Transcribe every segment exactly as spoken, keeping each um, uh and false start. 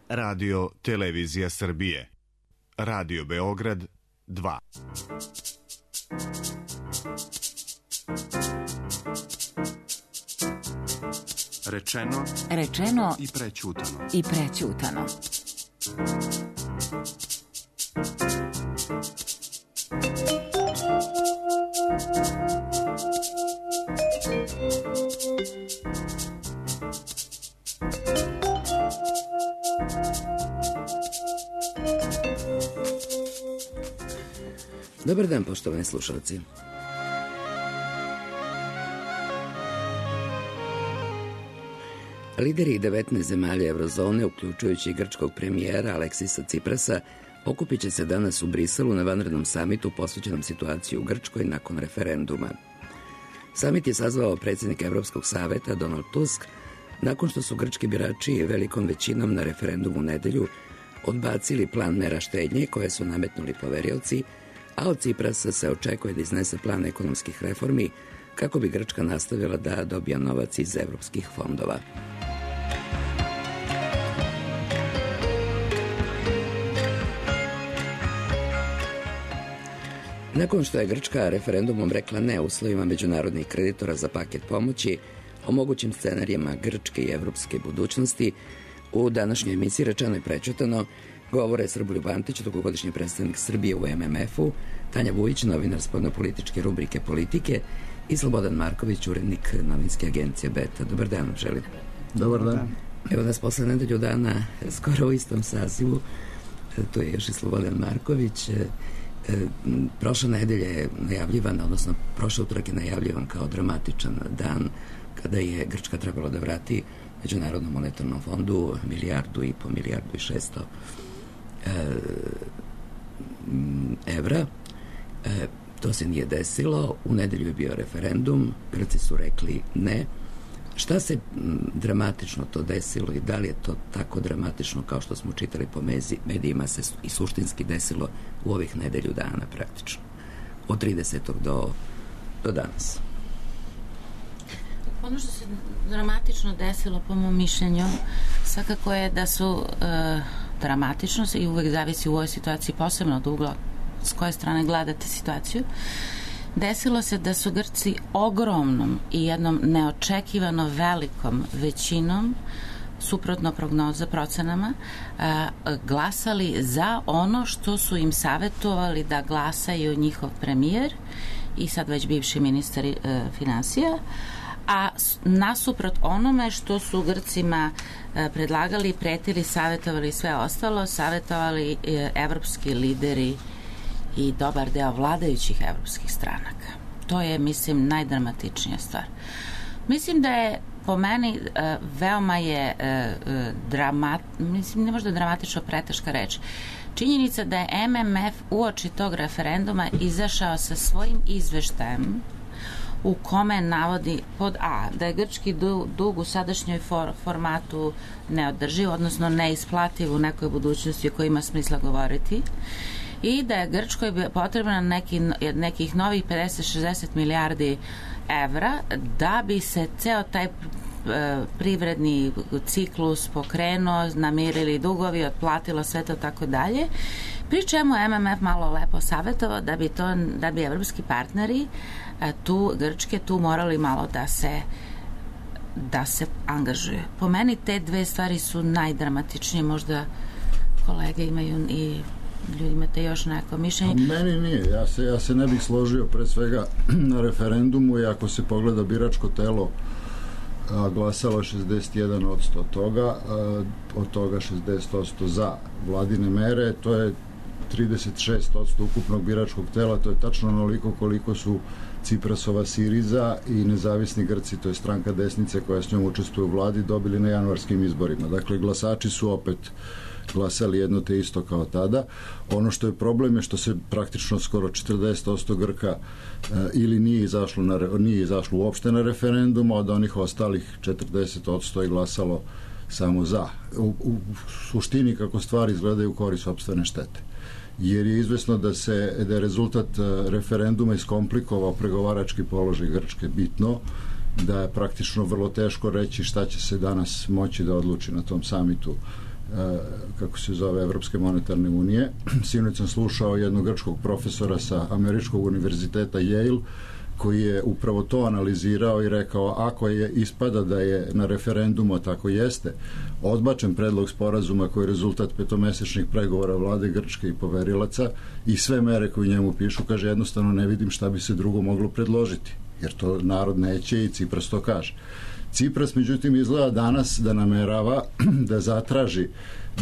Radio Televizija Srbije. Radio Beograd dva. Rečeno, rečeno i prećutano. I prećutano. Dobar dan, poštovani slušalci. Lideri devetnaest zemalja Eurozone, uključujući grčkog premijera Aleksisa Ciprasa, okupit će se danas u Briselu na vanrednom samitu posvećenom situaciji u Grčkoj nakon referenduma. Samit je sazvao predsjednik Evropskog saveta Donald Tusk nakon što su grčki birači velikom većinom na referendumu u nedelju odbacili plan mera štednje koje su nametnuli poverioci, a od Ciprasa se očekuje da iznese plan ekonomskih reformi kako bi Grčka nastavila da dobija novac iz evropskih fondova. Nakon što je Grčka referendumom rekla ne uslovima međunarodnih kreditora za paket pomoći o mogućim scenarijima grčke i evropske budućnosti, u današnjoj emisiji rečeno i prećutano govore Srboljub Antić, dugogodišnji predstavnik Srbije u em em efu, Tanja Vujić, novinar spoljnopolitičke rubrike Politike, i Slobodan Marković, urednik novinske agencije Beta. Dobar dan, želim. Dobar dan. Evo nas posle nedelju dana, skoro u istom sazivu, tu je još i Slobodan Marković. Prošla nedelja je najavljivana, odnosno prošle utorak je najavljivan kao dramatičan dan kada je Grčka trebala da vrati Međunarodnom monetarnom fondu milijardu i po milijardu i šesto evra. E, to se nije desilo. U nedelju je bio referendum. Grci su rekli ne. Šta se dramatično to desilo i da li je to tako dramatično kao što smo čitali po medijima se i suštinski desilo u ovih nedelju dana praktično. Od tridesetog do, do danas. Ono što se dramatično desilo po mom mišljenju svakako je da su e, dramatično i uvek zavisi u ovoj situaciji posebno od ugla s koje strane gledate situaciju. Desilo se da su Grci ogromnom i jednom neočekivano velikom većinom, suprotno prognoza procenama, a, glasali za ono što su im savjetovali da glasaju njihov premijer i sad već bivši ministar e, finansija, a nasuprot onome što su Grcima e, predlagali, pretili, savjetovali sve ostalo, savjetovali e, evropski lideri i dobar deo vladajućih evropskih stranaka. To je, mislim, najdramatičnija stvar. Mislim da je po meni e, veoma je e, dramat, mislim, ne možda dramatično preteška reč. Činjenica da je em em ef uoči tog referenduma izašao sa svojim izveštajem u kome navodi pod A da je grčki dug u sadašnjoj for, formatu neodrživ, odnosno neisplativ u nekoj budućnosti o kojoj ima smisla govoriti, i da je Grčkoj potrebno neki, nekih novih pedeset do šezdeset milijardi evra da bi se ceo taj e, privredni ciklus pokrenuo, namirili dugovi, otplatilo sve to tako dalje, pri čemu em em ef malo lepo savjetovao da bi, to, da bi evropski partneri e, tu Grčke tu morali malo da se da se angažuje. Po meni te dve stvari su najdramatičnije, možda kolege imaju i ljudi imate još neko mišljenje? Meni nije, ja se, ja se ne bih složio pre svega na referendumu i ako se pogleda biračko telo a, glasalo šezdeset jedan posto toga, a, od toga šezdeset posto za vladine mere, to je trideset šest posto ukupnog biračkog tela, to je tačno onoliko koliko su Ciprasova Siriza i nezavisni Grci, to je stranka desnice koja s njom učestvuje u vladi, dobili na januarskim izborima. Dakle, glasači su opet glasali jedno te isto kao tada. Ono što je problem je što se praktično skoro četrdeset posto Grka e, ili nije izašlo, na, nije izašlo uopšte na referendum, od onih ostalih četrdeset posto je glasalo samo za. U, u suštini kako stvari izgledaju u korist sopstvene štete. Jer je izvesno da se da je rezultat referenduma iskomplikovao pregovarački položaj Grčke bitno, da je praktično vrlo teško reći šta će se danas moći da odluči na tom samitu kako se zove, Evropske monetarne unije. Sinoć sam slušao jednog grčkog profesora sa Američkog univerziteta Yale, koji je upravo to analizirao i rekao, ako je ispada da je na referendumu, a tako jeste, odbačen predlog sporazuma koji je rezultat petomesečnih pregovora vlade Grčke i poverilaca i sve mere koje njemu pišu, kaže, jednostavno ne vidim šta bi se drugo moglo predložiti, jer to narod neće i Cipras to kaže. Cipras, međutim, izgleda danas da namerava da zatraži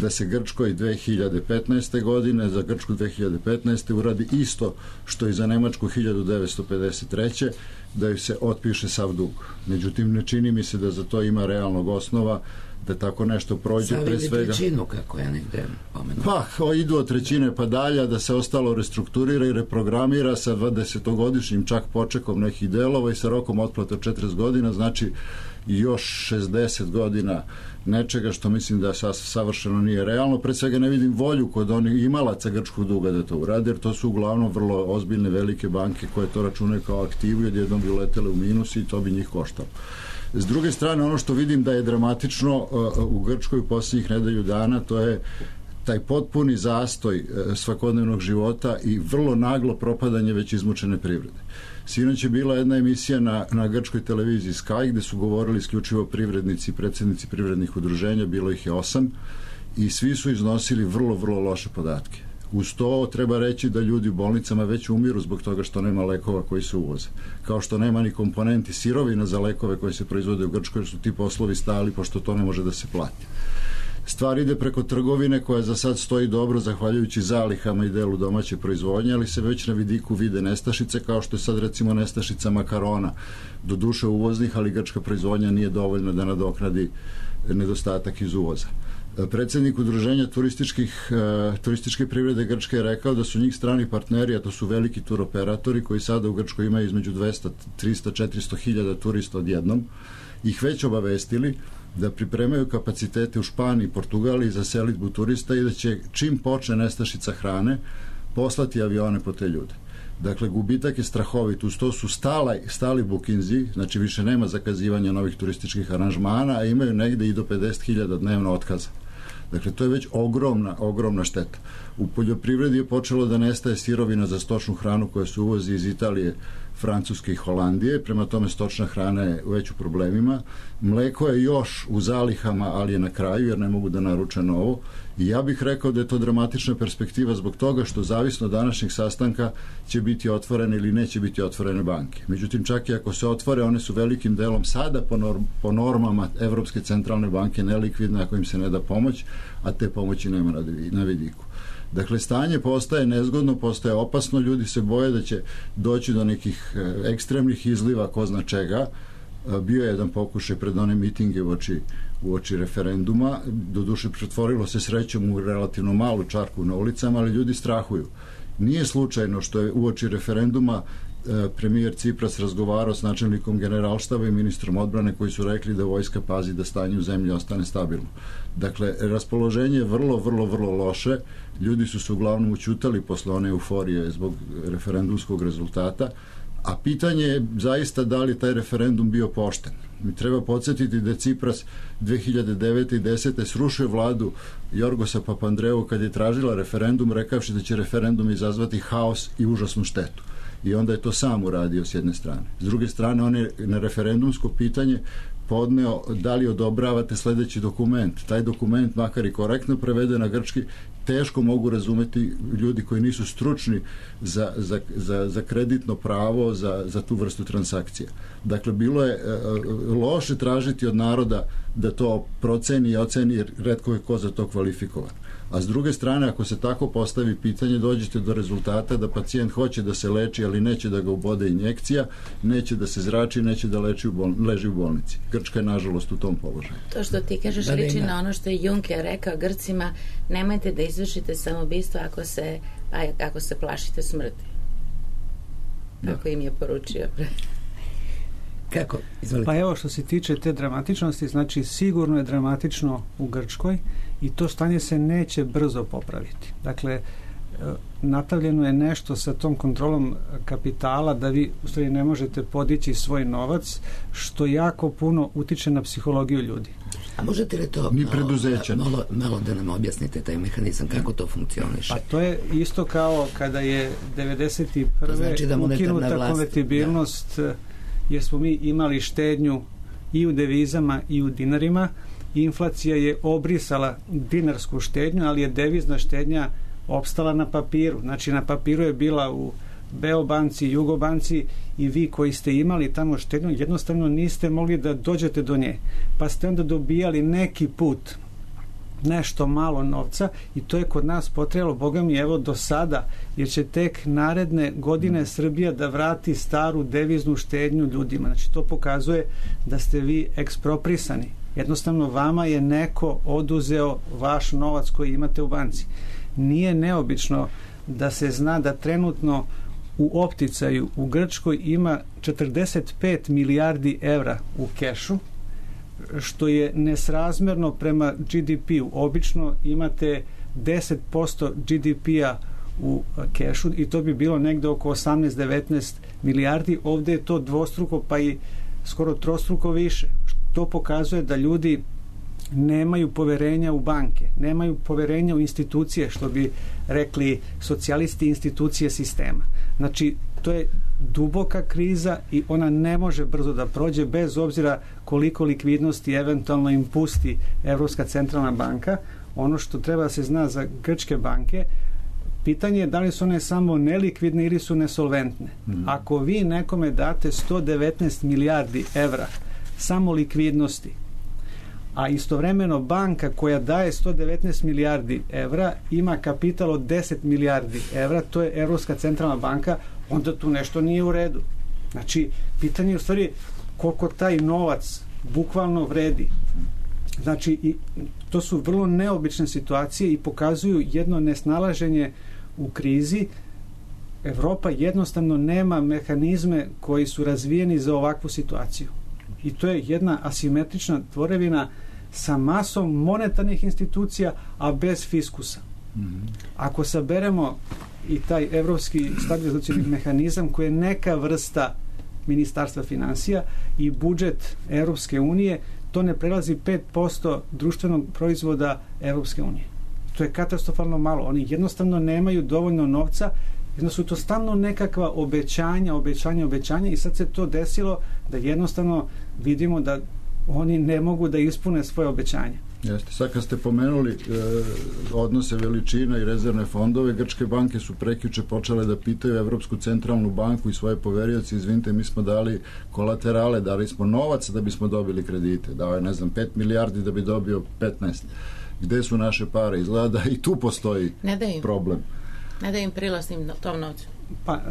da se Grčkoj dve hiljade petnaeste godine, za Grčku dve hiljade petnaeste uradi isto što i za Nemačku hiljadu devetsto pedeset treće da ju se otpiše sav dug. Međutim, ne čini mi se da za to ima realnog osnova, da tako nešto prođe pre svega. Savili trećinu, kako ja negde pomenuo. Pa, idu od trećine pa dalje, da se ostalo restrukturira i reprogramira sa dvadesetogodišnjim čak počekom nekih delova i sa rokom otplata četrdeset godina, znači još šezdeset godina nečega što mislim da savršeno nije realno. Pre svega ne vidim volju kod onih imalaca grčkog duga da to urade, jer to su uglavnom vrlo ozbiljne velike banke koje to računaju kao aktivu i odjednom bi uletele u minus i to bi njih koštalo. S druge strane, ono što vidim da je dramatično u Grčkoj u posljednjih nedelju dana, to je taj potpuni zastoj svakodnevnog života i vrlo naglo propadanje već izmučene privrede. Sinoć je bila jedna emisija na, na grčkoj televiziji Sky, gde su govorili isključivo privrednici i predsjednici privrednih udruženja, bilo ih je osam, i svi su iznosili vrlo, vrlo loše podatke. Uz to treba reći da ljudi u bolnicama već umiru zbog toga što nema lekova koji se uvoze. Kao što nema ni komponenti sirovina za lekove koji se proizvode u Grčkoj, jer su ti poslovi stali pošto to ne može da se plati. Stvar ide preko trgovine koja za sad stoji dobro zahvaljujući zalihama i delu domaće proizvodnje, ali se već na vidiku vide nestašice, kao što je sad recimo nestašica makarona, do duše uvoznih, ali grčka proizvodnja nije dovoljna da nadoknadi nedostatak iz uvoza. Predsjednik udruženja turističkih, turističke privrede Grčke je rekao da su njih strani partneri, a to su veliki turoperatori koji sada u Grčkoj imaju između dvesta, trista, četiristo hiljada turista odjednom, ih već obavestili da pripremaju kapacitete u Španiji i Portugaliji za selidbu turista i da će čim počne nestašica hrane poslati avione po te ljude. Dakle, gubitak je strahovit, uz to su stala, stali bukinzi, znači više nema zakazivanja novih turističkih aranžmana, a imaju negde i do pedeset hiljada dnevno otkaza. Dakle, to je već ogromna, ogromna šteta. U poljoprivredi je počelo da nestaje sirovina za stočnu hranu koja se uvozi iz Italije, Francuske i Holandije, prema tome stočna hrana je već u problemima. Mleko je još u zalihama, ali je na kraju, jer ne mogu da naruče novo. I ja bih rekao da je to dramatična perspektiva zbog toga što zavisno od današnjeg sastanka će biti otvorene ili neće biti otvorene banke. Međutim, čak i ako se otvore, one su velikim delom sada po, norm, po normama Evropske centralne banke nelikvidne ako im se ne da pomoć, a te pomoći nema na vidiku. Dakle, stanje postaje nezgodno, postaje opasno, ljudi se boje da će doći do nekih ekstremnih izliva, ko zna čega. Bio je jedan pokušaj pred one mitinge u oči, u oči referenduma, doduše pretvorilo se srećom u relativno malu čarku na ulicama, ali ljudi strahuju. Nije slučajno što je u oči referenduma premijer Cipras razgovarao s načelnikom generalštaba i ministrom odbrane koji su rekli da vojska pazi da stanje u zemlji ostane stabilno. Dakle, raspoloženje je vrlo, vrlo, vrlo loše. Ljudi su se uglavnom učutali posle one euforije zbog referendumskog rezultata, a pitanje je zaista da li taj referendum bio pošten. Mi treba podsjetiti da Cipras dve hiljade devete i desete srušio vladu Jorgosa Papandreou kad je tražila referendum, rekavši da će referendum izazvati haos i užasnu štetu. I onda je to sam uradio s jedne strane. S druge strane, on je na referendumsko pitanje podneo da li odobravate sledeći dokument. Taj dokument, makar i korektno preveden na grčki, teško mogu razumeti ljudi koji nisu stručni za, za, za, za kreditno pravo, za, za tu vrstu transakcija. Dakle, bilo je uh, loše tražiti od naroda da to proceni i oceni, jer retko je ko za to kvalifikovan. A s druge strane, ako se tako postavi pitanje, dođete do rezultata da pacijent hoće da se leči, ali neće da ga ubode injekcija, neće da se zrači, neće da leči u bol, leži u bolnici. Grčka je, nažalost, u tom položaju. To što ti kažeš liči na ono što je Juncker rekao Grcima, nemojte da izvršite samoubistvo ako se, ako se plašite smrti. Tako im je poručio. Kako? Izvolite. Pa evo, što se tiče te dramatičnosti, znači sigurno je dramatično u Grčkoj i to stanje se neće brzo popraviti. Dakle, napravljeno je nešto sa tom kontrolom kapitala da vi u stvari ne možete podići svoj novac, što jako puno utiče na psihologiju ljudi. A možete li to Ni preduzeća. malo, malo, malo da nam objasnite taj mehanizam, kako to funkcioniše? Pa to je isto kao kada je devedeset prve znači da ukinuta konvertibilnost, da. Jer smo mi imali štednju i u devizama i u dinarima. Inflacija je obrisala dinarsku štednju, ali je devizna štednja opstala na papiru. Znači na papiru je bila u Beobanci, Jugobanci i vi koji ste imali tamo štednju jednostavno niste mogli da dođete do nje. Pa ste onda dobijali neki put nešto malo novca i to je kod nas potrebalo, Boga mi, evo do sada, jer će tek naredne godine Srbija da vrati staru deviznu štednju ljudima. Znači to pokazuje da ste vi eksproprisani. Jednostavno vama je neko oduzeo vaš novac koji imate u banci. Nije neobično da se zna da trenutno u opticaju u Grčkoj ima četrdeset pet milijardi evra u kešu, što je nesrazmerno prema G D P-u. Obično imate deset posto G D P-a u kešu i to bi bilo negde oko osamnaest do devetnaest milijardi. Ovde je to dvostruko pa i skoro trostruko više. To pokazuje da ljudi nemaju poverenja u banke, nemaju poverenja u institucije, što bi rekli socijalisti, institucije sistema. Znači, to je duboka kriza i ona ne može brzo da prođe bez obzira koliko likvidnosti eventualno im pusti Evropska centralna banka. Ono što treba da se zna za grčke banke, pitanje je da li su one samo nelikvidne ili su nesolventne. Mm. Ako vi nekome date sto devetnaest milijardi evra samo likvidnosti, a istovremeno banka koja daje sto devetnaest milijardi evra ima kapital od deset milijardi evra, to je Evropska centralna banka, onda tu nešto nije u redu. Znači, pitanje je u stvari koliko taj novac bukvalno vredi. Znači, i to su vrlo neobične situacije i pokazuju jedno nesnalaženje u krizi. Evropa jednostavno nema mehanizme koji su razvijeni za ovakvu situaciju. I to je jedna asimetrična tvorevina sa masom monetarnih institucija, a bez fiskusa. Mm-hmm. Ako saberemo i taj evropski stabilizacioni mehanizam koji je neka vrsta ministarstva finansija i budžet Evropske unije, to ne prelazi pet posto društvenog proizvoda Evropske unije. To je katastrofalno malo. Oni jednostavno nemaju dovoljno novca, jedno su to stalno nekakva obećanja, obećanja, obećanja i sad se to desilo da jednostavno vidimo da oni ne mogu da ispune svoje obećanje. Jeste, sad kad ste pomenuli e, odnose veličina i rezervne fondove, grčke banke su prekjuče počele da pitaju Evropsku centralnu banku i svoje poverioce, izvinite, mi smo dali kolaterale, dali smo novac da bismo dobili kredite, dao je, ne znam, pet milijardi da bi dobio petnaest. Gde su naše pare? Izgleda i tu postoji ne da im, problem. Ne da im prilasnim tom novcu. Pa,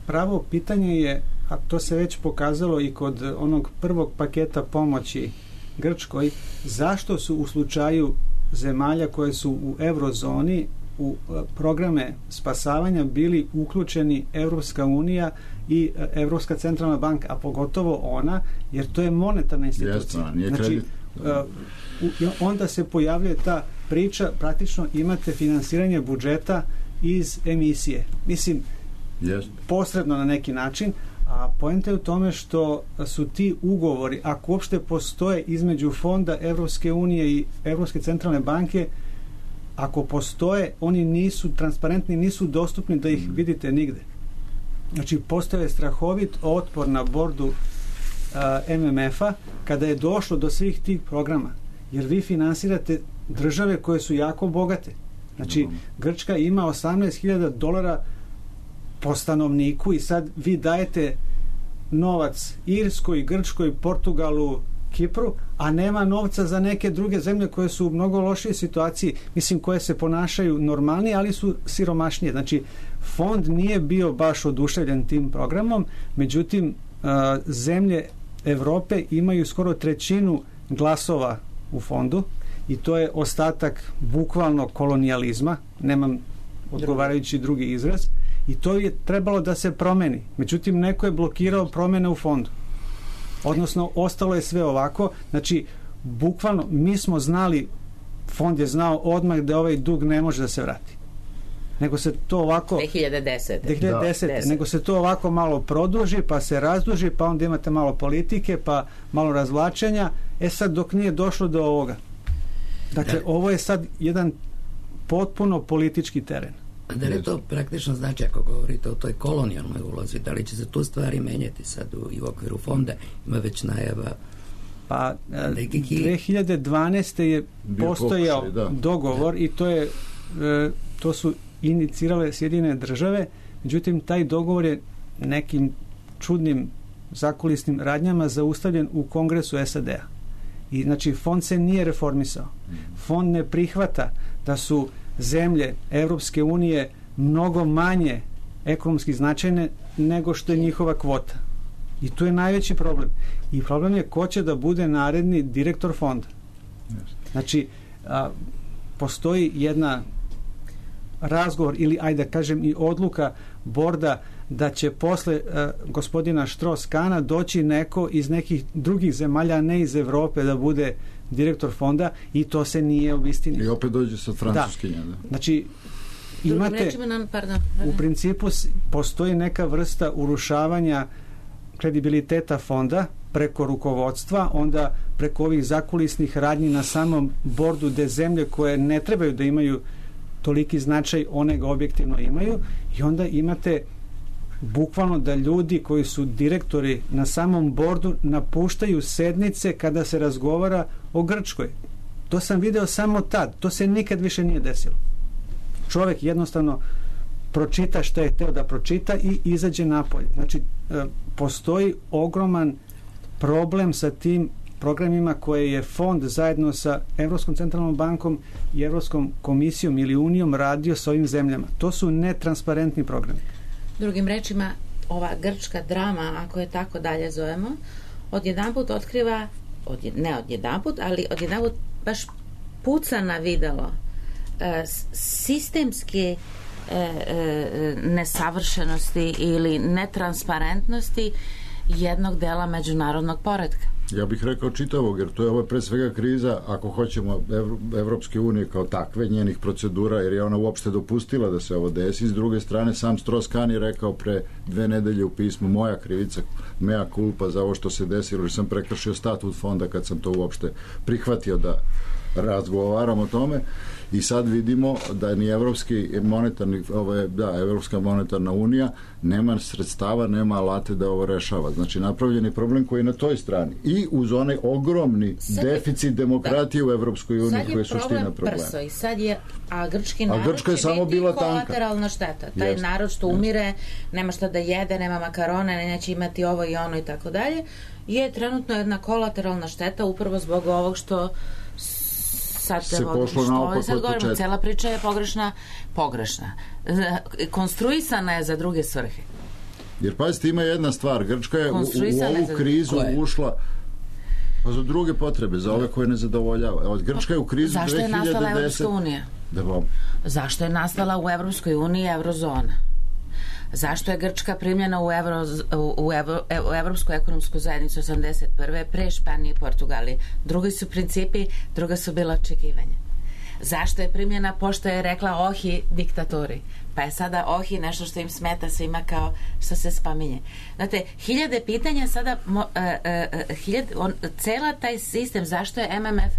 pravo pitanje je, a to se već pokazalo i kod onog prvog paketa pomoći Grčkoj, zašto su u slučaju zemalja koje su u eurozoni u programe spasavanja bili uključeni Evropska unija i Evropska centralna banka, a pogotovo ona, jer to je monetarna institucija. Jeste, znači, uh, onda se pojavljuje ta priča, praktično imate finansiranje budžeta iz emisije. Mislim, Jeste. posredno na neki način, a poenta je u tome što su ti ugovori, ako uopšte postoje između fonda Evropske unije i Evropske centralne banke, ako postoje, oni nisu transparentni, nisu dostupni da ih vidite nigde. Znači, postoje strahovit otpor na bordu uh, M M F-a kada je došlo do svih tih programa, jer vi finansirate države koje su jako bogate. Znači, Grčka ima osamnaest hiljada dolara po stanovniku i sad vi dajete novac Irskoj, Grčkoj, Portugalu, Kipru, a nema novca za neke druge zemlje koje su u mnogo lošije situaciji, mislim, koje se ponašaju normalnije, ali su siromašnije. Znači, fond nije bio baš oduševljen tim programom, međutim, zemlje Evrope imaju skoro trećinu glasova u fondu i to je ostatak bukvalno kolonijalizma, nemam odgovarajući drugi izraz, i to je trebalo da se promeni. Međutim, neko je blokirao promene u fondu. Odnosno, ostalo je sve ovako. Znači, bukvalno, mi smo znali, fond je znao odmah da ovaj dug ne može da se vrati. nego se to ovako dve hiljade desete. dve hiljade desete Da. nego se to ovako malo produži, pa se razduži, pa onda imate malo politike, pa malo razvlačenja. E sad, dok nije došlo do ovoga. Dakle, Da. ovo je sad jedan potpuno politički teren. A da li to praktično znači, ako govorite o toj kolonijalnoj ulozi, da li će se tu stvari menjati sad u, i u okviru fonda? Ima već najava. Pa Nekih- dve hiljade dvanaeste je Bio postojao pokušaj, da. dogovor i to je e, to su inicirale Sjedinjene države, međutim taj dogovor je nekim čudnim zakulisnim radnjama zaustavljen u Kongresu S A D-a. I znači fond se nije reformisao. Fond ne prihvata da su zemlje Evropske unije mnogo manje ekonomski značajne nego što je njihova kvota. I tu je najveći problem. I problem je ko će da bude naredni direktor fonda. Znači, a, postoji jedna razgovor ili, ajde da kažem, i odluka borda da će posle a, gospodina Štros-Kana doći neko iz nekih drugih zemalja, a ne iz Evrope, da bude direktor fonda, i to se nije obistinilo. I opet dođe sa francuskinja. Da. Znači, Drugim imate, rečima nam, pardon, u principu s- postoji neka vrsta urušavanja kredibiliteta fonda preko rukovodstva, onda preko ovih zakulisnih radnji na samom bordu, gde zemlje koje ne trebaju da imaju toliki značaj, one ga objektivno imaju, i onda imate bukvalno da ljudi koji su direktori na samom bordu napuštaju sednice kada se razgovara o Grčkoj. To sam video samo tad, to se nikad više nije desilo. Čovek jednostavno pročita što je teo da pročita i izađe napolje. Znači, e, postoji ogroman problem sa tim programima koje je fond zajedno sa Evropskom centralnom bankom i Evropskom komisijom ili unijom radio sa ovim zemljama. To su netransparentni programi. Drugim rečima, ova grčka drama, ako je tako dalje zovemo, odjedanput otkriva, odje, ne odjedanput, ali odjedanput baš puca na videlo e, sistemske e, e, nesavršenosti ili netransparentnosti jednog dela međunarodnog poretka. Ja bih rekao čitavog, jer to je ovo pre svega kriza, ako hoćemo, Ev- Evropske unije kao takve, njenih procedura, jer je ona uopšte dopustila da se ovo desi. S druge strane, sam Strauss-Kahn je rekao pre dve nedelje u pismu: moja krivica, mea culpa za ovo što se desilo, jer sam prekršio statut fonda kad sam to uopšte prihvatio da razgovaram o tome. I sad vidimo da ni Evropski monetarni, ovo je, da, Evropska monetarna unija nema sredstava, nema alate da ovo rešava. Znači, napravljen je problem koji je na toj strani. I uz onaj ogromni Sad je- deficit demokratije da. u Evropskoj uniji, Sad koji je suština problem problema. prso i sad je, a grčki A narod Grčka je će samo biti bila tanka. kolateralna šteta. Taj Jeste, narod što jeste. umire, nema šta da jede, nema makarone, neće imati ovo i ono i tako dalje, je trenutno jedna kolateralna šteta upravo zbog ovog što sad Se evo, pošlo što naopako sad od govorimo, početka. cela priča je pogrešna, pogrešna. Konstruisana je za druge svrhe. Jer pazite, ima jedna stvar, Grčka je u, u Konstruisana je ovu za- krizu Koje? ušla pa za druge potrebe, za ove koje ne zadovoljava. Evo, Grčka je u krizu Zašto je dve hiljade nastala desete. Evropska unija? Da vam Zašto je nastala u Evropskoj uniji eurozona? Zašto je Grčka primljena u, Evro, u, Evro, u Evropsku ekonomsku zajednicu osamdeset prve pre Španije i Portugalije? Drugi su principi, druga su bila očekivanja. Zašto je primljena pošto je rekla ohi diktatori? Pa je sada ohi nešto što im smeta svima kao što se spominje. Znate, hiljade pitanja sada, mo, e, e, hiljade, on, cela taj sistem, zašto je M M F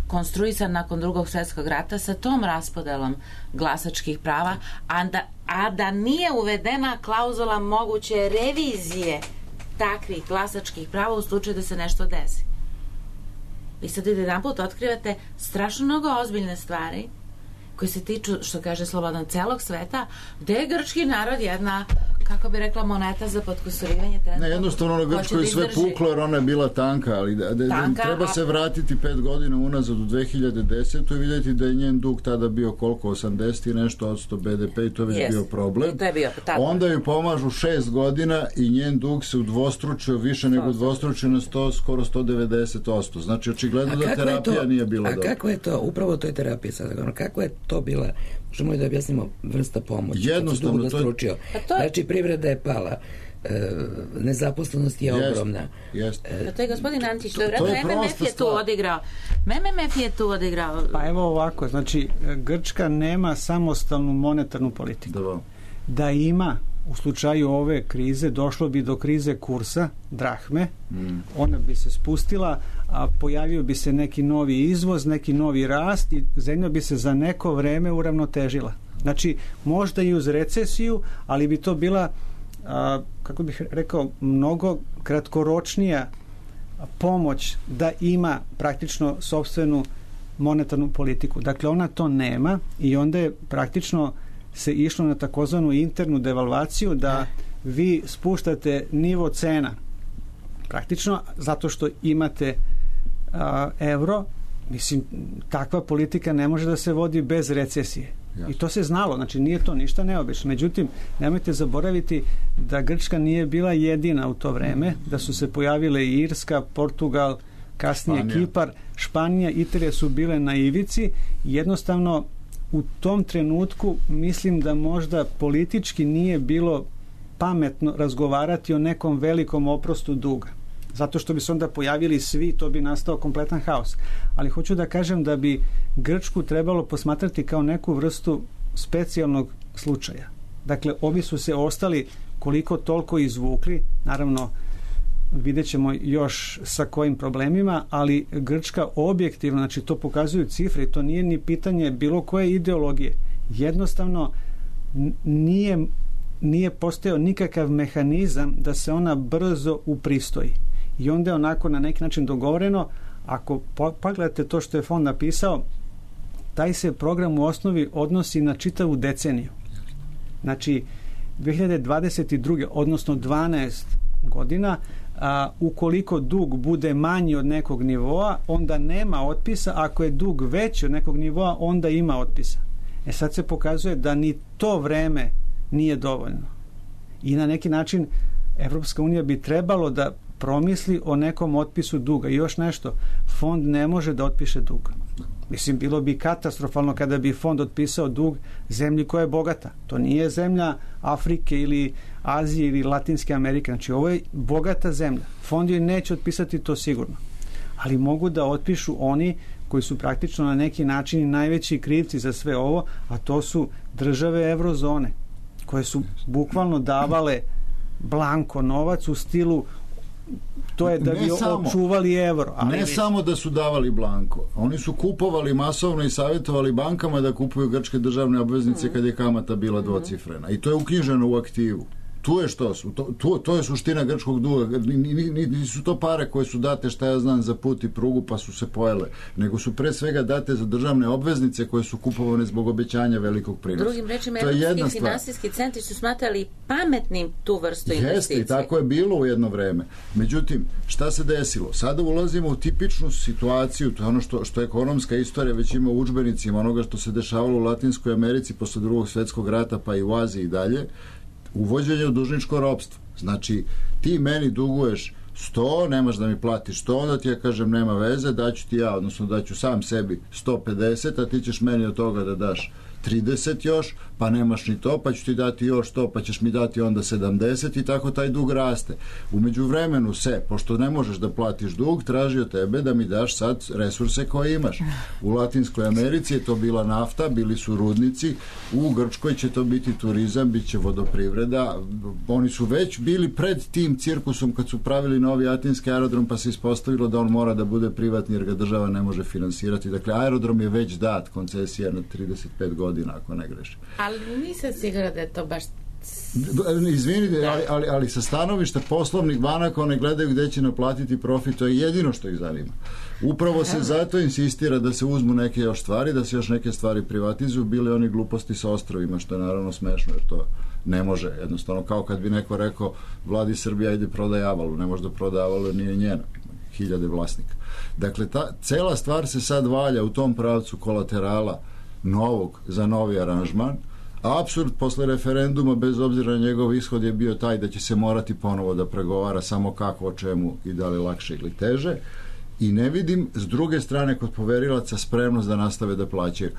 konstruisan nakon drugog svjetskog rata sa tom raspodelom glasačkih prava, a da, a da nije uvedena klauzula moguće revizije takvih glasačkih prava u slučaju da se nešto desi. Vi sad jedan put otkrivate strašno mnogo ozbiljne stvari koji se tiču, što kaže Slobodan, celog sveta, gde je grčki narod jedna, kako bi rekla, moneta za potkusurivanje. Ne, jednostavno na Grčkoj je sve puklo jer ona je bila tanka, ali da, da, Tanka, treba a- se vratiti pet godina unazad u dve hiljade desete i vidjeti da je njen dug tada bio koliko, osamdeset i nešto od sto B D P i to je već Yes. bio problem. I to je bio, tako. Onda joj pomažu šest godina i njen dug se udvostručio, više nego udvostručio na sto, skoro sto devedeset posto. Znači, očigledno da kako je terapija to- nije bila a dobra. kako je to, upravo to je terapija sada, ono, kako je to bila, možemo li da objasnimo, vrsta pomoći? Jednostavno, Kad se dug to je- udvostručio. Pa to je- Znači, privreda je pala, e, nezaposlenost je jest, ogromna. Jest. E, to je gospodin Antić, to je to vratno, je M M F je tu odigrao. M M F je tu odigrao. Pa evo ovako, znači Grčka nema samostalnu monetarnu politiku. Da, da ima, u slučaju ove krize, došlo bi do krize kursa drahme, mm. ona bi se spustila, a pojavio bi se neki novi izvoz, neki novi rast i zemlja bi se za neko vreme uravnotežila. Znači, možda i uz recesiju, ali bi to bila, a, kako bih rekao, mnogo kratkoročnija pomoć da ima praktično sopstvenu monetarnu politiku. Dakle, ona to nema i onda je praktično se išlo na takozvanu internu devalvaciju, da vi spuštate nivo cena praktično zato što imate a, evro. Mislim, takva politika ne može da se vodi bez recesije. Jasne. I to se znalo, znači nije to ništa neobično. Međutim, nemojte zaboraviti da Grčka nije bila jedina u to vreme, da su se pojavile i Irska, Portugal, kasnije Španija. Kipar, Španija, Italija su bile na ivici. Jednostavno, u tom trenutku mislim da možda politički nije bilo pametno razgovarati o nekom velikom oprostu duga. Zato što bi se onda pojavili svi, to bi nastao kompletan haos. Ali hoću da kažem da bi Grčku trebalo posmatrati kao neku vrstu specijalnog slučaja. Dakle, ovi su se ostali koliko toliko izvukli, naravno vidjet ćemo još sa kojim problemima, ali Grčka objektivno, znači to pokazuju cifre i to nije ni pitanje bilo koje ideologije. Jednostavno nije, nije postojao nikakav mehanizam da se ona brzo upristoji. I onda je onako na neki način dogovoreno, ako pogledate to što je fond napisao, taj se program u osnovi odnosi na čitavu deceniju. Znači, dve hiljade dvadeset druge odnosno dvanaest godina, a, ukoliko dug bude manji od nekog nivoa, onda nema otpisa, ako je dug veći od nekog nivoa, onda ima otpisa. E sad se pokazuje da ni to vreme nije dovoljno. I na neki način Evropska unija bi trebalo da promisli o nekom otpisu duga. I još nešto, fond ne može da otpiše dug. Mislim, bilo bi katastrofalno kada bi fond otpisao dug zemlji koja je bogata. To nije zemlja Afrike ili Azije ili Latinske Amerike. Znači, ovo je bogata zemlja. Fond joj neće otpisati to sigurno. Ali mogu da otpišu oni koji su praktično na neki način najveći krivci za sve ovo, a to su države eurozone, koje su bukvalno davale blanko novac u stilu to je da bi očuvali evro. Ali ne vi... samo da su davali blanko. Oni su kupovali masovno i savjetovali bankama da kupuju grčke državne obveznice mm. kad je kamata bila dvocifrena. I to je uknjiženo u aktivu. Tu je što su. To, to, to je suština grčkog duga. Nisu to pare koje su date, šta ja znam, za put i prugu pa su se pojele. Nego su pre svega date za državne obveznice koje su kupovane zbog obećanja velikog prinosa. Drugim rečima, evropski finansijski centri su smatrali pametnim tu vrstu investicije. Jeste, i tako je bilo u jedno vreme. Međutim, šta se desilo? Sada ulazimo u tipičnu situaciju, to je ono što, što ekonomska istorija već ima u udžbenicima, onoga što se dešavalo u Latinskoj Americi posle drugog svjetskog rata, pa i u Aziji i dalje, uvođenje u dužničko ropstvo. Znači, ti meni duguješ sto, nemaš da mi platiš sto, onda ti ja kažem nema veze, daću ti ja, odnosno daću sam sebi sto pedeset, a ti ćeš meni od toga da daš trideset još, pa nemaš ni to, pa ću ti dati još to, pa ćeš mi dati onda sedamdeset i tako taj dug raste. U međuvremenu se, pošto ne možeš da platiš dug, traži od tebe da mi daš sad resurse koje imaš. U Latinskoj Americi je to bila nafta, bili su rudnici, u Grčkoj će to biti turizam, bit će vodoprivreda. Oni su već bili pred tim cirkusom kad su pravili novi atinski aerodrom, pa se ispostavilo da on mora da bude privatni jer ga država ne može finansirati. Dakle, aerodrom je već dat, koncesija na trideset pet godina, ako ne grešim. Ali nisam sigurna da je to baš... Izvinite, ali, ali, ali sa stanovišta poslovnih banaka one gledaju gde će naplatiti profit, to je jedino što ih zanima. Upravo se zato insistira da se uzmu neke još stvari, da se još neke stvari privatizuju, bile oni gluposti sa ostrovima, što je naravno smešno, jer to ne može, jednostavno, kao kad bi neko rekao vladi Srbija ide prodaj Avalu, ne može da proda Avalu jer nije njena, hiljade vlasnika. Dakle, ta cela stvar se sad valja u tom pravcu kolaterala novog za novi aranžman. Apsurd posle referenduma, bez obzira na njegov ishod, je bio taj da će se morati ponovo da pregovara samo kako, o čemu i da li lakše ili teže. i ne vidim s druge strane kod poverilaca spremnost da nastave da plaćaju.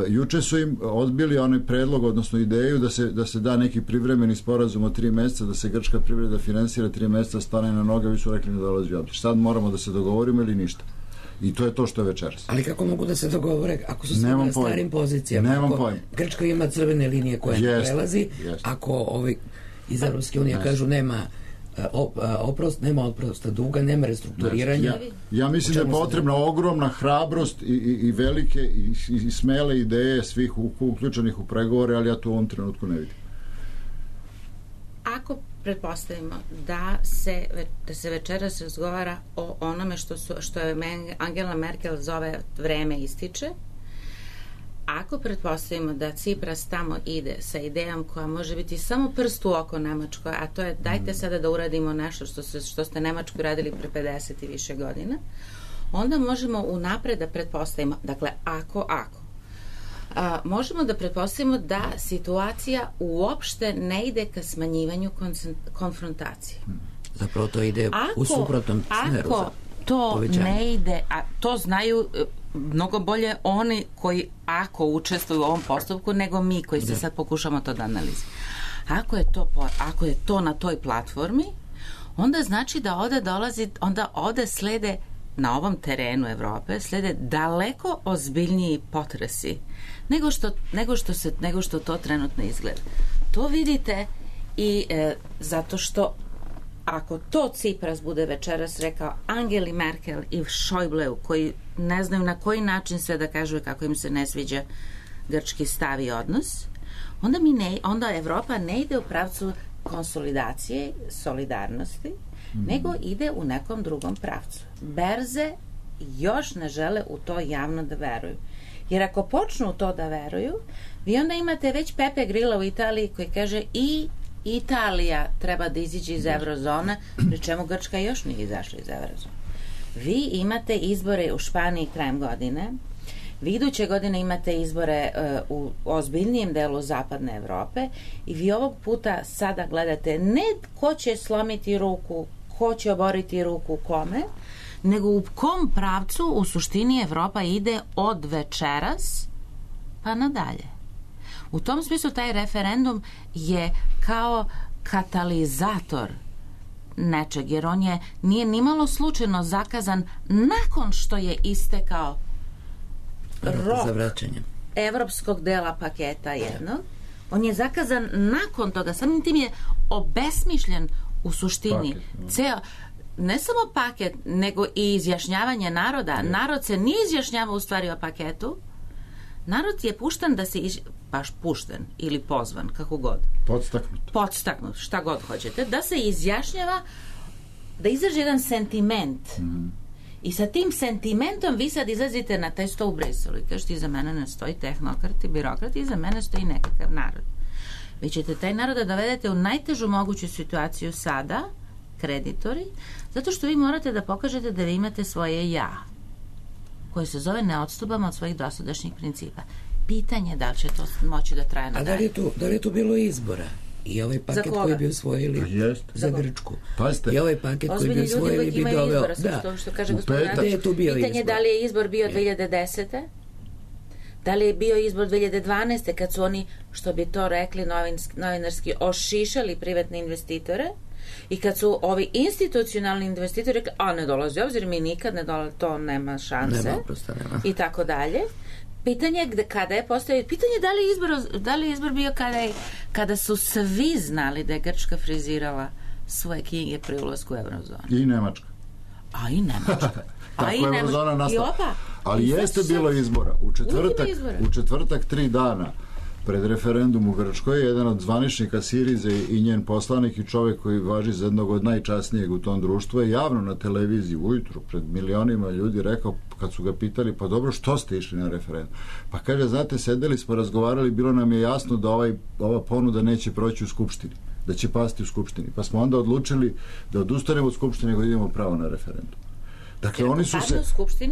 Juče su im odbili onaj predlog, odnosno ideju da se, da se da neki privremeni sporazum od tri meseca, da se grčka privreda finansira tri meseca, stane na noge, vi su rekli da dolazi u obzir. Sad moramo da se dogovorimo ili ništa. I to je to što je večeras. Ali kako mogu da se dogovore ako su svi na starim pozicijama? Nemam ako pojma. Grčka ima crvene linije koje ne prelazi, jest. Ako ovi iz Evropske unije kažu nema oprost, nema oprosta duga, nema restrukturiranja. Ja, ja mislim da je potrebna ogromna hrabrost i, i, i velike i, i smele ideje svih uključenih u pregovore, ali ja to u ovom trenutku ne vidim. Ako pretpostavimo da se, da se večeras razgovara o onome što, su, što je Angela Merkel zove vreme ističe, ako pretpostavimo da Cipras tamo ide sa idejom koja može biti samo prst u oko Nemačkoj, a to je dajte sada da uradimo nešto što, se, što ste Nemačku radili pre pedeset i više godina, onda možemo unapred da pretpostavimo, dakle, ako, ako, a, možemo da pretpostavimo da situacija uopšte ne ide ka smanjivanju konfrontacije. Zapravo to ide ako, u suprotnom smeru. Ako to povećanje. Ne ide, a to znaju mnogo bolje oni koji ako učestvuju u ovom postupku nego mi koji se sad pokušamo to da analiziramo. Ako je to, ako je to na toj platformi, onda znači da ovde dolazi, onda ovde slede na ovom terenu Evrope slede daleko ozbiljniji potresi nego što, nego što, se, nego što to trenutno izgleda. To vidite i e, zato što ako to Cipras bude večeras rekao Angeli Merkel i Schäubleu, koji ne znaju na koji način sve da kažu kako im se ne sviđa grčki stav i odnos, onda, mi ne, onda Evropa ne ide u pravcu konsolidacije, solidarnosti, mm. nego ide u nekom drugom pravcu. Berze još ne žele u to javno da veruju. Jer ako počnu u to da veruju, vi onda imate već Pepe Grilla u Italiji koji kaže i Italija treba da iziđe iz eurozone, pri čemu Grčka još nije izašla iz eurozone. Vi imate izbore u Španiji krajem godine, vi iduće godine imate izbore uh, u ozbiljnijem delu zapadne Evrope i vi ovog puta sada gledate ne ko će slomiti ruku, ko će oboriti ruku kome, nego u kom pravcu u suštini Evropa ide od večeras pa nadalje. U tom smislu taj referendum je kao katalizator nečeg, jer on je nije nimalo slučajno zakazan nakon što je istekao rok za vraćanje evropskog dela paketa jednog. On je zakazan nakon toga, samim tim je obesmišljen u suštini. Paket, ceo, ne samo paket, nego i izjašnjavanje naroda. Ne. Narod se nije izjašnjavao u stvari o paketu. Narod je pušten da se iz... baš pušten ili pozvan, kako god. Podstaknut. Podstaknut, šta god hoćete, da se izjašnjava, da izraži jedan sentiment. Mm. I sa tim sentimentom vi sad izlazite na taj sto u Briselu i kažete, iza mene ne stoji tehnokrat i birokrat, iza mene stoji nekakav narod. Vi ćete taj narod da dovedete u najtežu moguću situaciju sada, kreditori, zato što vi morate da pokažete da vi imate svoje ja, koje se zove ne odstupamo od svojih dosadašnjih principa. Pitanje da li će to moći da traje na dalje. A da li je tu, da li je tu bilo izbora? I ovaj paket koji bi usvojili za Grčku. Pazite. I ovaj paket koji bi usvojili bi doveo... Da. Što, što kaže gospodin Radić. Pitanje da li je izbor bio dve hiljade desete. Da li je bio izbor dve hiljade dvanaeste kad su oni, što bi to rekli novinski, novinarski, ošišali privatne investitore i kad su ovi institucionalni investitori rekli, a ne dolazi obzir, mi nikad ne dolazi, to nema šanse. Nema, prosto nema. I tako dalje. Pitanje gde, kada je postoji, pitanje da li je izbor, da li je izbor bio kada, je, kada su svi znali da je Grčka frizirala svoje knjige pri ulasku u eurozonu. I Nemačka. A i Nemačka. Tako je eurozona nastala. Opa. Ali I jeste bilo izbora. U četvrtak, u četvrtak tri dana pred referendum u Grčkoj, jedan od zvaničnika Sirize i njen poslanik i čovjek koji važi za jednog od najčasnijeg u tom društvu je javno na televiziji ujutru pred milionima ljudi rekao, kad su ga pitali, pa dobro, što ste išli na referendum? Pa kaže, znate, sedeli smo, razgovarali, bilo nam je jasno da ovaj, ova ponuda neće proći u Skupštini, da će pasti u Skupštini. Pa smo onda odlučili da odustanemo od Skupštine nego idemo pravo na referendum. Dakle, oni su se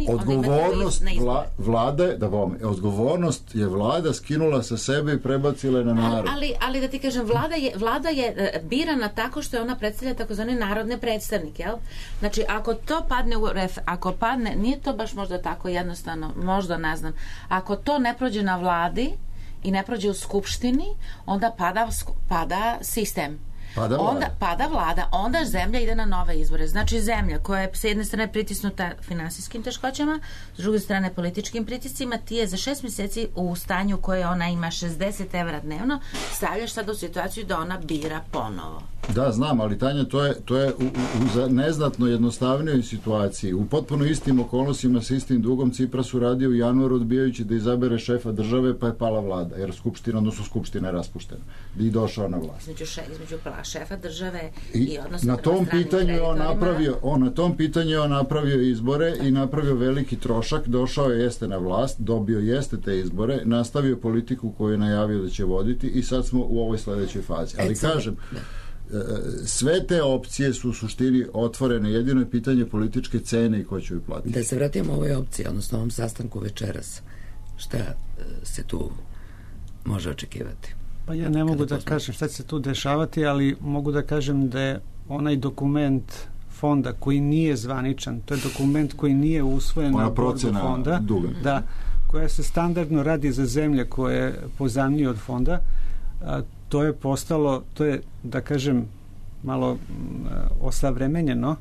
odgovornost vla, vlade, da vam, odgovornost je vlada skinula sa sebe i prebacila na narod. Ali, ali da ti kažem, vlada je, vlada je birana tako što je ona predstavlja takozvane narodne predstavnike, jel? Znači, ako to padne u ref, ako padne, nije to baš možda tako jednostavno, možda ne znam, ako to ne prođe na vladi i ne prođe u skupštini, onda pada, pada sistem. Pada vlada. Onda pada vlada, onda zemlja ide na nove izbore. Znači zemlja koja je s jedne strane pritisnuta finansijskim teškoćama, s druge strane političkim pritiscima, ti je za šest mjeseci u stanju koje ona ima šezdeset evra dnevno, stavljaš sad u situaciju da ona bira ponovo. Da, znam, ali Tanja, to je, to je u, u, u neznatno jednostavnijoj situaciji. U potpuno istim okolnostima sa istim dugom Cipras uradio u januaru odbijajući da izabere šefa države, pa je pala vlada, jer skupština, odnosno skupština je raspuštena. I došao na vlast. Između, še, između šefa države i, i odnosno na tom pitanju on napravio, on na tom pitanju on napravio izbore i napravio veliki trošak, došao je jeste na vlast, dobio jeste te izbore, nastavio politiku koju je najavio da će voditi i sad smo u ovoj sledećoj fazi. Ali kažem, sve te opcije su u suštini otvorene, jedino je pitanje političke cene i ko će ju platiti. Da se vratimo ovoj opciji, odnosno ovom sastanku večeras, šta se tu može očekivati? Pa ja ne mogu da kažem šta će se tu dešavati, ali mogu da kažem da je onaj dokument fonda koji nije zvaničan, to je dokument koji nije usvojen na bordu fonda, da, koja se standardno radi za zemlje koje je pozajmljuju od fonda, a, to je postalo, to je, da kažem, malo osavremenjeno,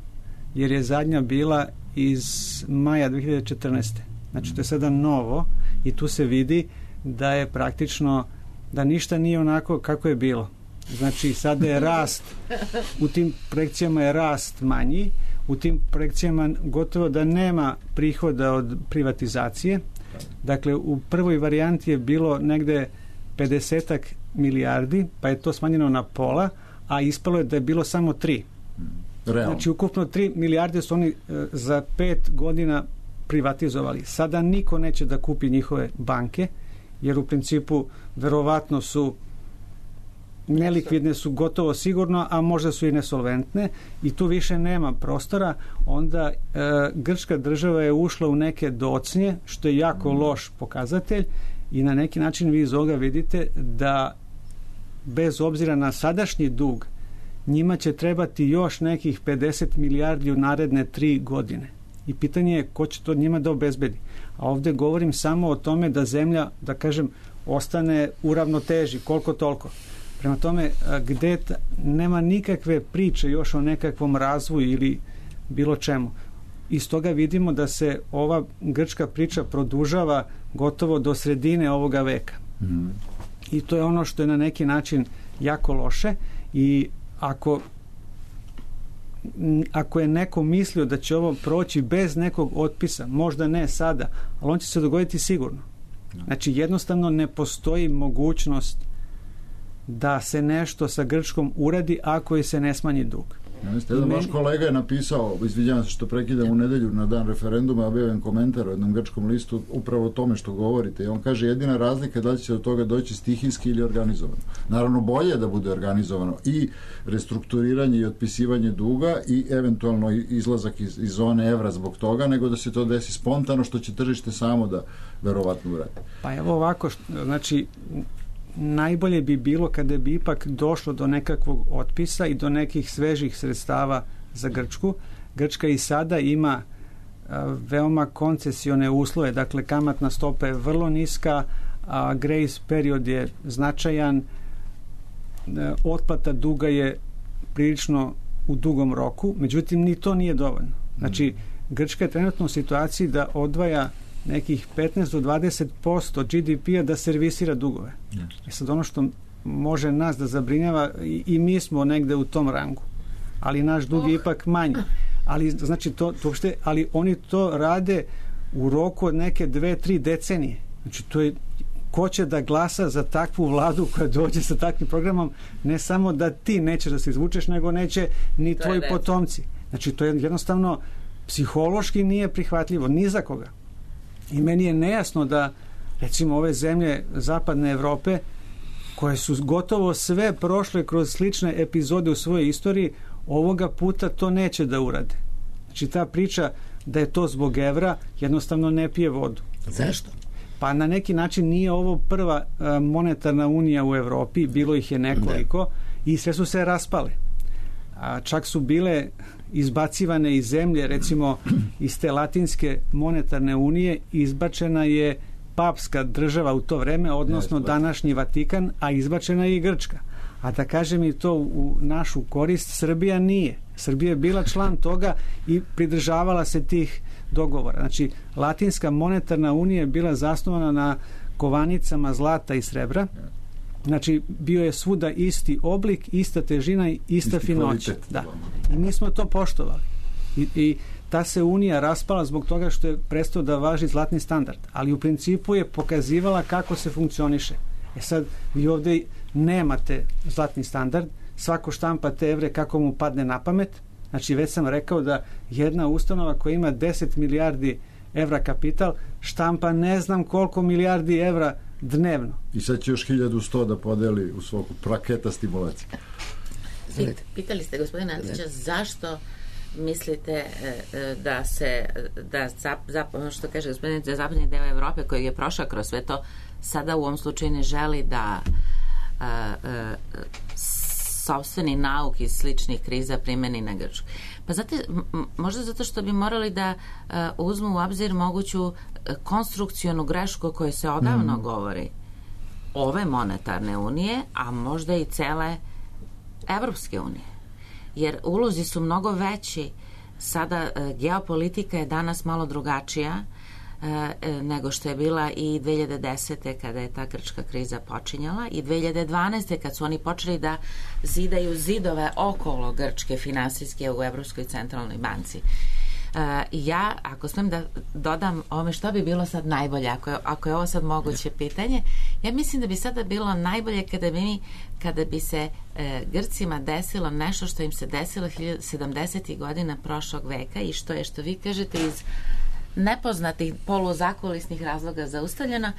jer je zadnja bila iz maja dve hiljade četrnaeste. Znači, to je sada novo i tu se vidi da je praktično da ništa nije onako kako je bilo. Znači, sada je rast, u tim projekcijama je rast manji, u tim projekcijama gotovo da nema prihoda od privatizacije. Dakle, u prvoj varijanti je bilo negde pedesetak milijardi, pa je to smanjeno na pola, a ispalo je da je bilo samo tri. Realno. Znači, ukupno tri milijarde su oni e, za pet godina privatizovali. Sada niko neće da kupi njihove banke, jer u principu verovatno su nelikvidne, su gotovo sigurno, a možda su i nesolventne i tu više nema prostora. Onda e, grčka država je ušla u neke docnje, što je jako loš pokazatelj i na neki način vi iz ovoga vidite da bez obzira na sadašnji dug njima će trebati još nekih pedeset milijardi u naredne tri godine. I pitanje je ko će to njima da obezbedi. A ovde govorim samo o tome da zemlja, da kažem, ostane u ravnoteži, koliko toliko. Prema tome, gde ta, nema nikakve priče još o nekakvom razvoju ili bilo čemu. Iz toga vidimo da se ova grčka priča produžava gotovo do sredine ovoga veka. Mm. I to je ono što je na neki način jako loše i ako ako je neko mislio da će ovo proći bez nekog otpisa, možda ne sada, ali on će se dogoditi sigurno. Znači, jednostavno ne postoji mogućnost da se nešto sa Grčkom uradi ako je se ne smanji dug. Jeste, jedan vaš kolega je napisao, izvinjavam se što prekidam u nedelju na dan referenduma, objavljen komentar u jednom grčkom listu upravo o tome što govorite i on kaže jedina razlika je da će od toga doći stihijski ili organizovano. Naravno bolje je da bude organizovano i restrukturiranje i otpisivanje duga i eventualno izlazak iz, iz zone evra zbog toga, nego da se to desi spontano što će tržište samo da verovatno uradi. Pa evo ovako, znači najbolje bi bilo kada bi ipak došlo do nekakvog otpisa i do nekih svežih sredstava za Grčku. Grčka i sada ima a, veoma koncesione uslove, dakle kamatna stopa je vrlo niska, a grace period je značajan, a, otplata duga je prilično u dugom roku, međutim ni to nije dovoljno. Znači, Grčka je trenutno u situaciji da odvaja nekih petnaest do dvadeset posto G D P-a da servisira dugove. Yes. I sad ono što može nas da zabrinjava, i, i mi smo negde u tom rangu, ali naš dug je ipak manji. Ali, znači, to, to uopšte, ali oni to rade u roku od neke dve, tri decenije. Znači, to je, ko će da glasa za takvu vladu koja dođe sa takvim programom, ne samo da ti nećeš da se izvučeš, nego neće ni tvoji potomci. Znači, to je jednostavno psihološki nije prihvatljivo, ni za koga. I meni je nejasno da, recimo, ove zemlje zapadne Evrope, koje su gotovo sve prošle kroz slične epizode u svojoj istoriji, ovoga puta to neće da urade. Znači, ta priča da je to zbog evra, jednostavno ne pije vodu. Zašto? Pa na neki način nije ovo prva monetarna unija u Evropi, bilo ih je nekoliko i sve su se raspale. A čak su bile izbacivane iz zemlje, recimo iz te latinske monetarne unije izbačena je papska država u to vreme, odnosno današnji Vatikan, a izbačena je i Grčka. A da kažem i to u našu korist, Srbija nije. Srbija je bila član toga i pridržavala se tih dogovora. Znači, Latinska monetarna unija je bila zasnovana na kovanicama zlata i srebra. Znači, bio je svuda isti oblik, ista težina i ista isti finoća. Da. I mi smo to poštovali. I, I ta se unija raspala zbog toga što je prestao da važi zlatni standard. Ali u principu je pokazivala kako se funkcioniše. E sad, vi ovde nemate zlatni standard, svako štampa te evre kako mu padne na pamet. Znači, već sam rekao da jedna ustanova koja ima deset milijardi evra kapital štampa ne znam koliko milijardi evra dnevno. I sad će još hiljadu sto da podeli u svoku praketa stimulacije. Pitali ste, gospodine Antića, zašto mislite da se, da zap, zap, što kaže gospodin, da zapadni deo Evrope koji je prošao kroz sve to, sada u ovom slučaju ne želi da a, a, sopstveni nauk iz sličnih kriza primeni na Grčku. Pa zato, možda zato što bi morali da a, uzmu u obzir moguću konstrukcionu grešku o kojoj se odavno mm. govori ove monetarne unije, a možda i cele Evropske unije. Jer ulozi su mnogo veći. Sada e, geopolitika je danas malo drugačija e, nego što je bila i dve hiljade desete kada je ta grčka kriza počinjala i dve hiljade dvanaeste kad su oni počeli da zidaju zidove okolo Grčke finansijske u Evropskoj centralnoj banci. Uh, ja, ako smijem da dodam ovome što bi bilo sad najbolje, ako je, ako je ovo sad moguće pitanje, ja mislim da bi sada bilo najbolje kada bi mi, kada bi se e, Grcima desilo nešto što im se desilo sedamdesetih godina prošlog veka i što je, što vi kažete, iz nepoznatih poluzakulisnih razloga zaustavljeno,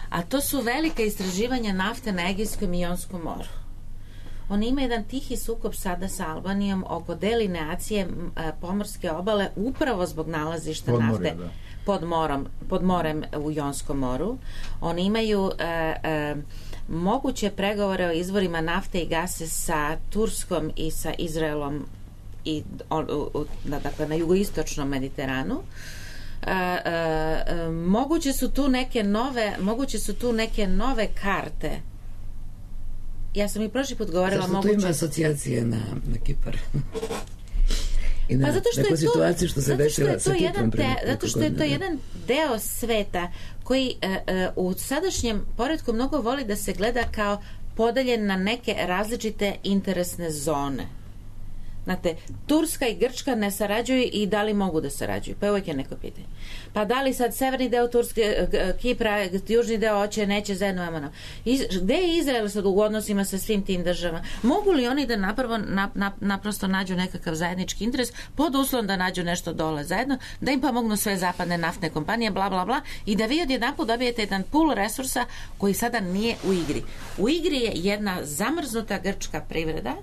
a to su velika istraživanja nafte na Egejskom i Jonskom moru. Oni imaju jedan tihi sukob sada sa Albanijom oko delineacije pomorske obale upravo zbog nalazišta pod nafte morje, da. pod, morom, pod morem u Jonskom moru. Oni imaju e, e, moguće pregovore o izvorima nafte i gase sa Turskom i sa Izraelom i, o, o, na, dakle, na jugoistočnom Mediteranu. E, e, moguće su tu neke nove moguće su tu neke nove karte. Ja sam i prošli put govorila moguće... moguće... Zašto tu ima asocijacije na, na Kipar? I na pa zato što neku je to, situaciju što se desila sa Kiprom. Te, zato što je to jedan deo sveta koji uh, uh, u sadašnjem poretku mnogo voli da se gleda kao podeljen na neke različite interesne zone. Znate, Turska i Grčka ne sarađuju i da li mogu da sarađuju? Pa uvijek je neko pitanje. Pa da li sad severni deo Turske, Kipra, južni deo hoće, neće zajedno amano. Gde je Izrael sad u odnosima sa svim tim državama? Mogu li oni da napravo, na, na, naprosto nađu nekakav zajednički interes pod uslovom da nađu nešto dole zajedno, da im pomognu sve zapadne naftne kompanije, bla, bla, bla, i da vi odjedanput dobijete jedan pool resursa koji sada nije u igri. U igri je jedna zamrznuta grčka privreda.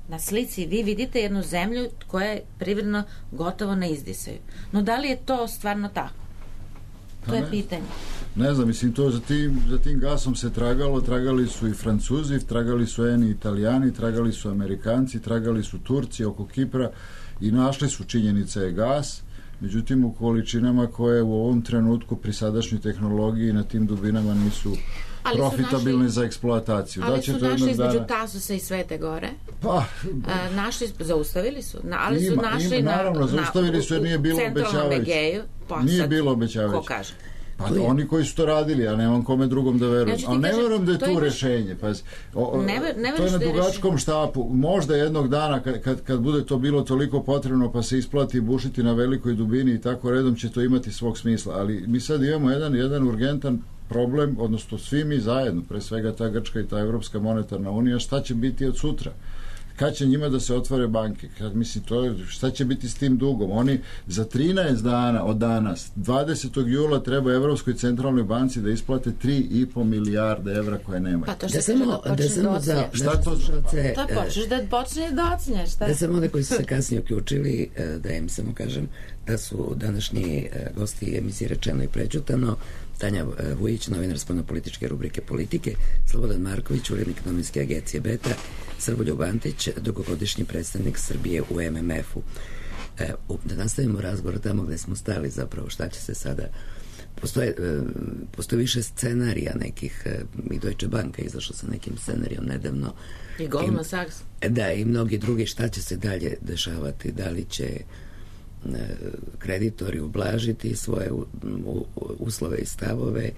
Na slici vi vidite jednu zemlju koja je privredno gotovo ne izdisaju. No da li je to stvarno tako? To pa je ne, pitanje. Ne znam, mislim, to za tim, za tim gasom se tragalo, tragali su i Francuzi, tragali su eni Italijani, tragali su Amerikanci, tragali su Turci oko Kipra i našli su, činjenica je, gas, međutim u količinama koje u ovom trenutku pri sadašnjoj tehnologiji na tim dubinama nisu ali profitabilni našli, za eksploataciju. Ali da su našli između dana... Tasusa i Svete Gore. Pa, e, našli, zaustavili su. Na, ali ima, su našli ima, naravno, na, zaustavili su jer nije bilo obećavajuće. Pa nije sad, bilo obećavajuće. Ko kaže? Pa oni koji su to radili, ja nemam kome drugom da verujem. Ali ne verujem da je tu imaš... rešenje. Pa, o, ne ver, ne to je na dugačkom štapu. Možda jednog dana kad, kad, kad bude to bilo toliko potrebno pa se isplati bušiti na velikoj dubini i tako redom će to imati svog smisla. Ali mi sad imamo jedan, jedan urgentan problem, odnosno svi mi zajedno, pre svega ta Grčka i ta Evropska monetarna unija, šta će biti od sutra? Kad će njima da se otvore banke? Kad, mislim, to, šta će biti s tim dugom? Oni za trinaest dana od danas, dvadesetog jula treba Evropskoj centralnoj banci da isplate tri i po milijarde evra koje nemaju. Pa to što se da počneš da ocnješ. Šta to za... To počneš da počneš da ocnješ. Da samo one koji su se kasnije uključili, da im samo kažem da su današnji gosti emisije Rečeno i prećutano Tanja Vujić, novinar spoljnopolitičke rubrike Politike, Slobodan Marković, urednik novinske agencije Beta, Srboljub Antić, dugogodišnji predstavnik Srbije u em em efu. E, da nastavimo razgovor tamo gde smo stali zapravo, šta će se sada... Postoje, postoje više scenarija nekih, i Deutsche Bank je izašla sa nekim scenarijom nedavno. I Goldman Sachs. Da, i mnogi drugi, šta će se dalje dešavati, da li će kreditori ublažiti svoje uslove i stavove,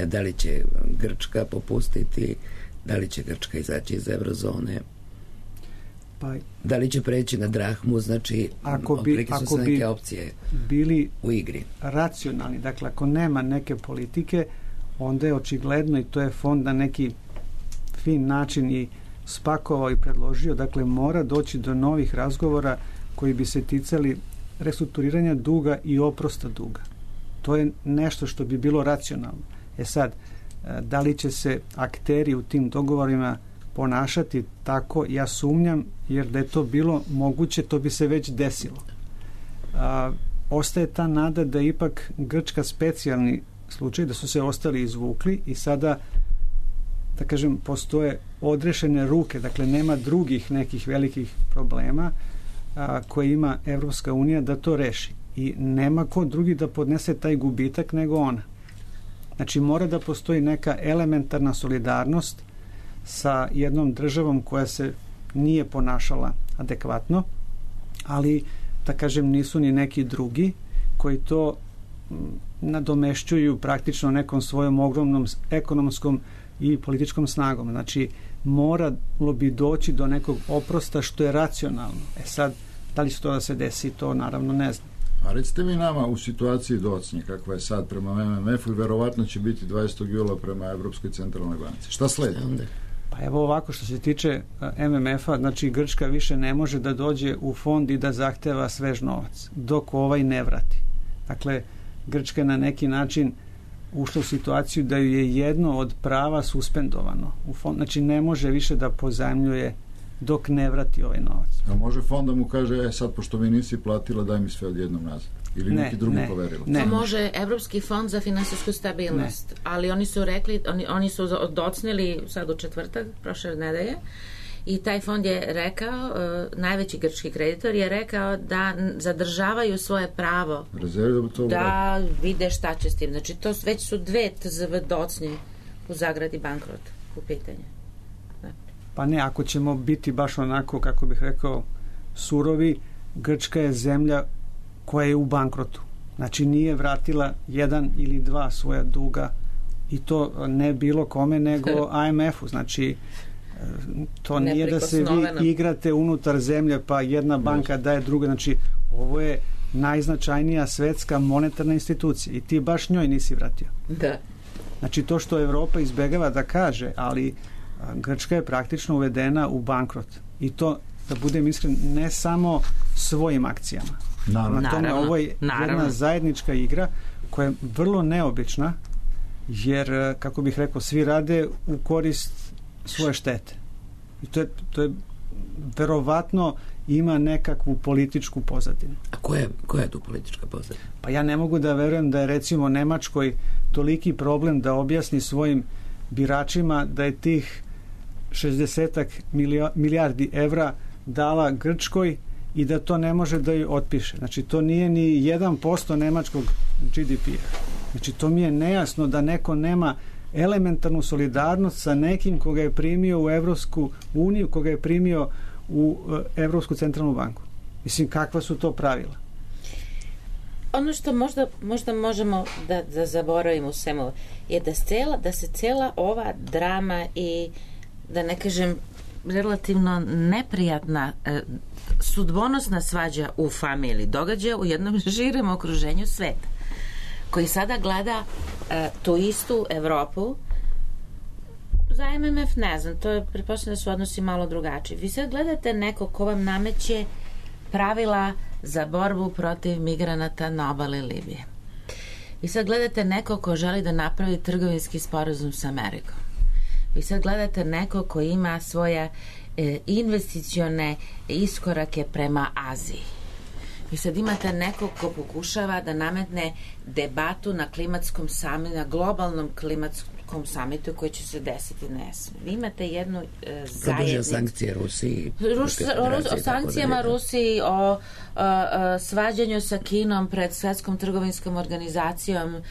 da li će Grčka popustiti, da li će Grčka izaći iz eurozone, pa, da li će preći na drahmu, znači ako bi, su ako se neke bi opcije bili u igri. Racionalni, dakle ako nema neke politike, onda je očigledno, i to je fond na neki fin način i spakovao i predložio, dakle mora doći do novih razgovora koji bi se ticali restrukturiranja duga i oprosta duga. To je nešto što bi bilo racionalno. E sad, da li će se akteri u tim dogovorima ponašati tako, ja sumnjam, jer da je to bilo moguće, to bi se već desilo. A, ostaje ta nada da ipak Grčka specijalni slučaj, da su se ostali izvukli i sada, da kažem, postoje odrešene ruke, dakle nema drugih nekih velikih problema a, koje ima Evropska unija da to reši. I nema ko drugi da podnese taj gubitak nego ona. Znači mora da postoji neka elementarna solidarnost sa jednom državom koja se nije ponašala adekvatno, ali da kažem nisu ni neki drugi koji to nadomešćuju praktično nekom svojom ogromnom ekonomskom i političkom snagom. Znači moralo bi doći do nekog oprosta što je racionalno. E sad, da li će to da se desi, to naravno ne znam. A recite mi nama u situaciji docnje kakva je sad prema em em efu i verovatno će biti dvadesetog jula prema Evropskoj centralnoj banci. Šta sledi? Pa evo ovako, što se tiče em em efa, znači Grčka više ne može da dođe u fond i da zahteva svež novac, dok ovaj ne vrati. Dakle, Grčka je na neki način ušla u situaciju da ju je jedno od prava suspendovano u fond, znači ne može više da pozajmljuje dok ne vrati ovaj novac. A može fond da mu kaže, e sad pošto mi nisi platila, daj mi sve odjednom nazad? Ili ne, neki drugi ne, poverila? Ne. To može Evropski fond za finansijsku stabilnost, ne. Ali oni su rekli, oni, oni su docnili sad u četvrtak, prošle nedelje, i taj fond je rekao, uh, najveći grčki kreditor je rekao da zadržavaju svoje pravo Rezervi da, to da vide šta će s tim. Znači to već su dve T Z V docnje u zagradi bankrot u pitanju. Pa ne, ako ćemo biti baš onako, kako bih rekao, surovi, Grčka je zemlja koja je u bankrotu. Znači nije vratila jedan ili dva svoja duga, i to ne bilo kome nego a em efu. Znači to nije da se vi igrate unutar zemlje pa jedna banka daje druga. Znači ovo je najznačajnija svetska monetarna institucija i ti baš njoj nisi vratio. Da. Znači to što Evropa izbegava da kaže, ali Grčka je praktično uvedena u bankrot. I to, da budem iskren, ne samo svojim akcijama. Naravno. Na tome, ovo je Naravno. jedna zajednička igra koja je vrlo neobična, jer, kako bih rekao, svi rade u korist svoje štete. I to je, to je verovatno ima nekakvu političku pozadinu. A koja je, koja je tu politička pozadina? Pa ja ne mogu da verujem da je recimo Nemačkoj toliki problem da objasni svojim biračima da je tih šezdesetak milijardi evra dala Grčkoj i da to ne može da ju otpiše. Znači to nije ni jedan posto nemačkog G D P-a. Znači to mi je nejasno da neko nema elementarnu solidarnost sa nekim koga je primio u Evropsku uniju, koga je primio u Evropsku centralnu banku. Mislim, kakva su to pravila? Ono što možda, možda možemo da, da zaboravimo u svemu je da, cela, da se cela ova drama i, da ne kažem, relativno neprijatna eh, sudbonosna svađa u familiji događa u jednom širem okruženju sveta, koji sada gleda eh, tu istu Evropu za M M F ne znam, to je, pretpostavljam da su odnosi malo drugačiji. Vi sad gledate neko ko vam nameće pravila za borbu protiv migranata na obali Libije. Vi sad gledate neko ko želi da napravi trgovinski sporazum sa Amerikom. Vi sad gledate neko ko ima svoje e, investicione iskorake prema Aziji. Vi sad imate nekog ko pokušava da nametne debatu na klimatskom samitu, na globalnom klimatskom samitu koji će se desiti na jesenu. Vi imate jednu e, zajednicu. Produžio sankcije Rusiji. Rus, Rus, o sankcijama Rusiji, o, o, o svađanju sa Kinom pred Svetskom trgovinskom organizacijom, e,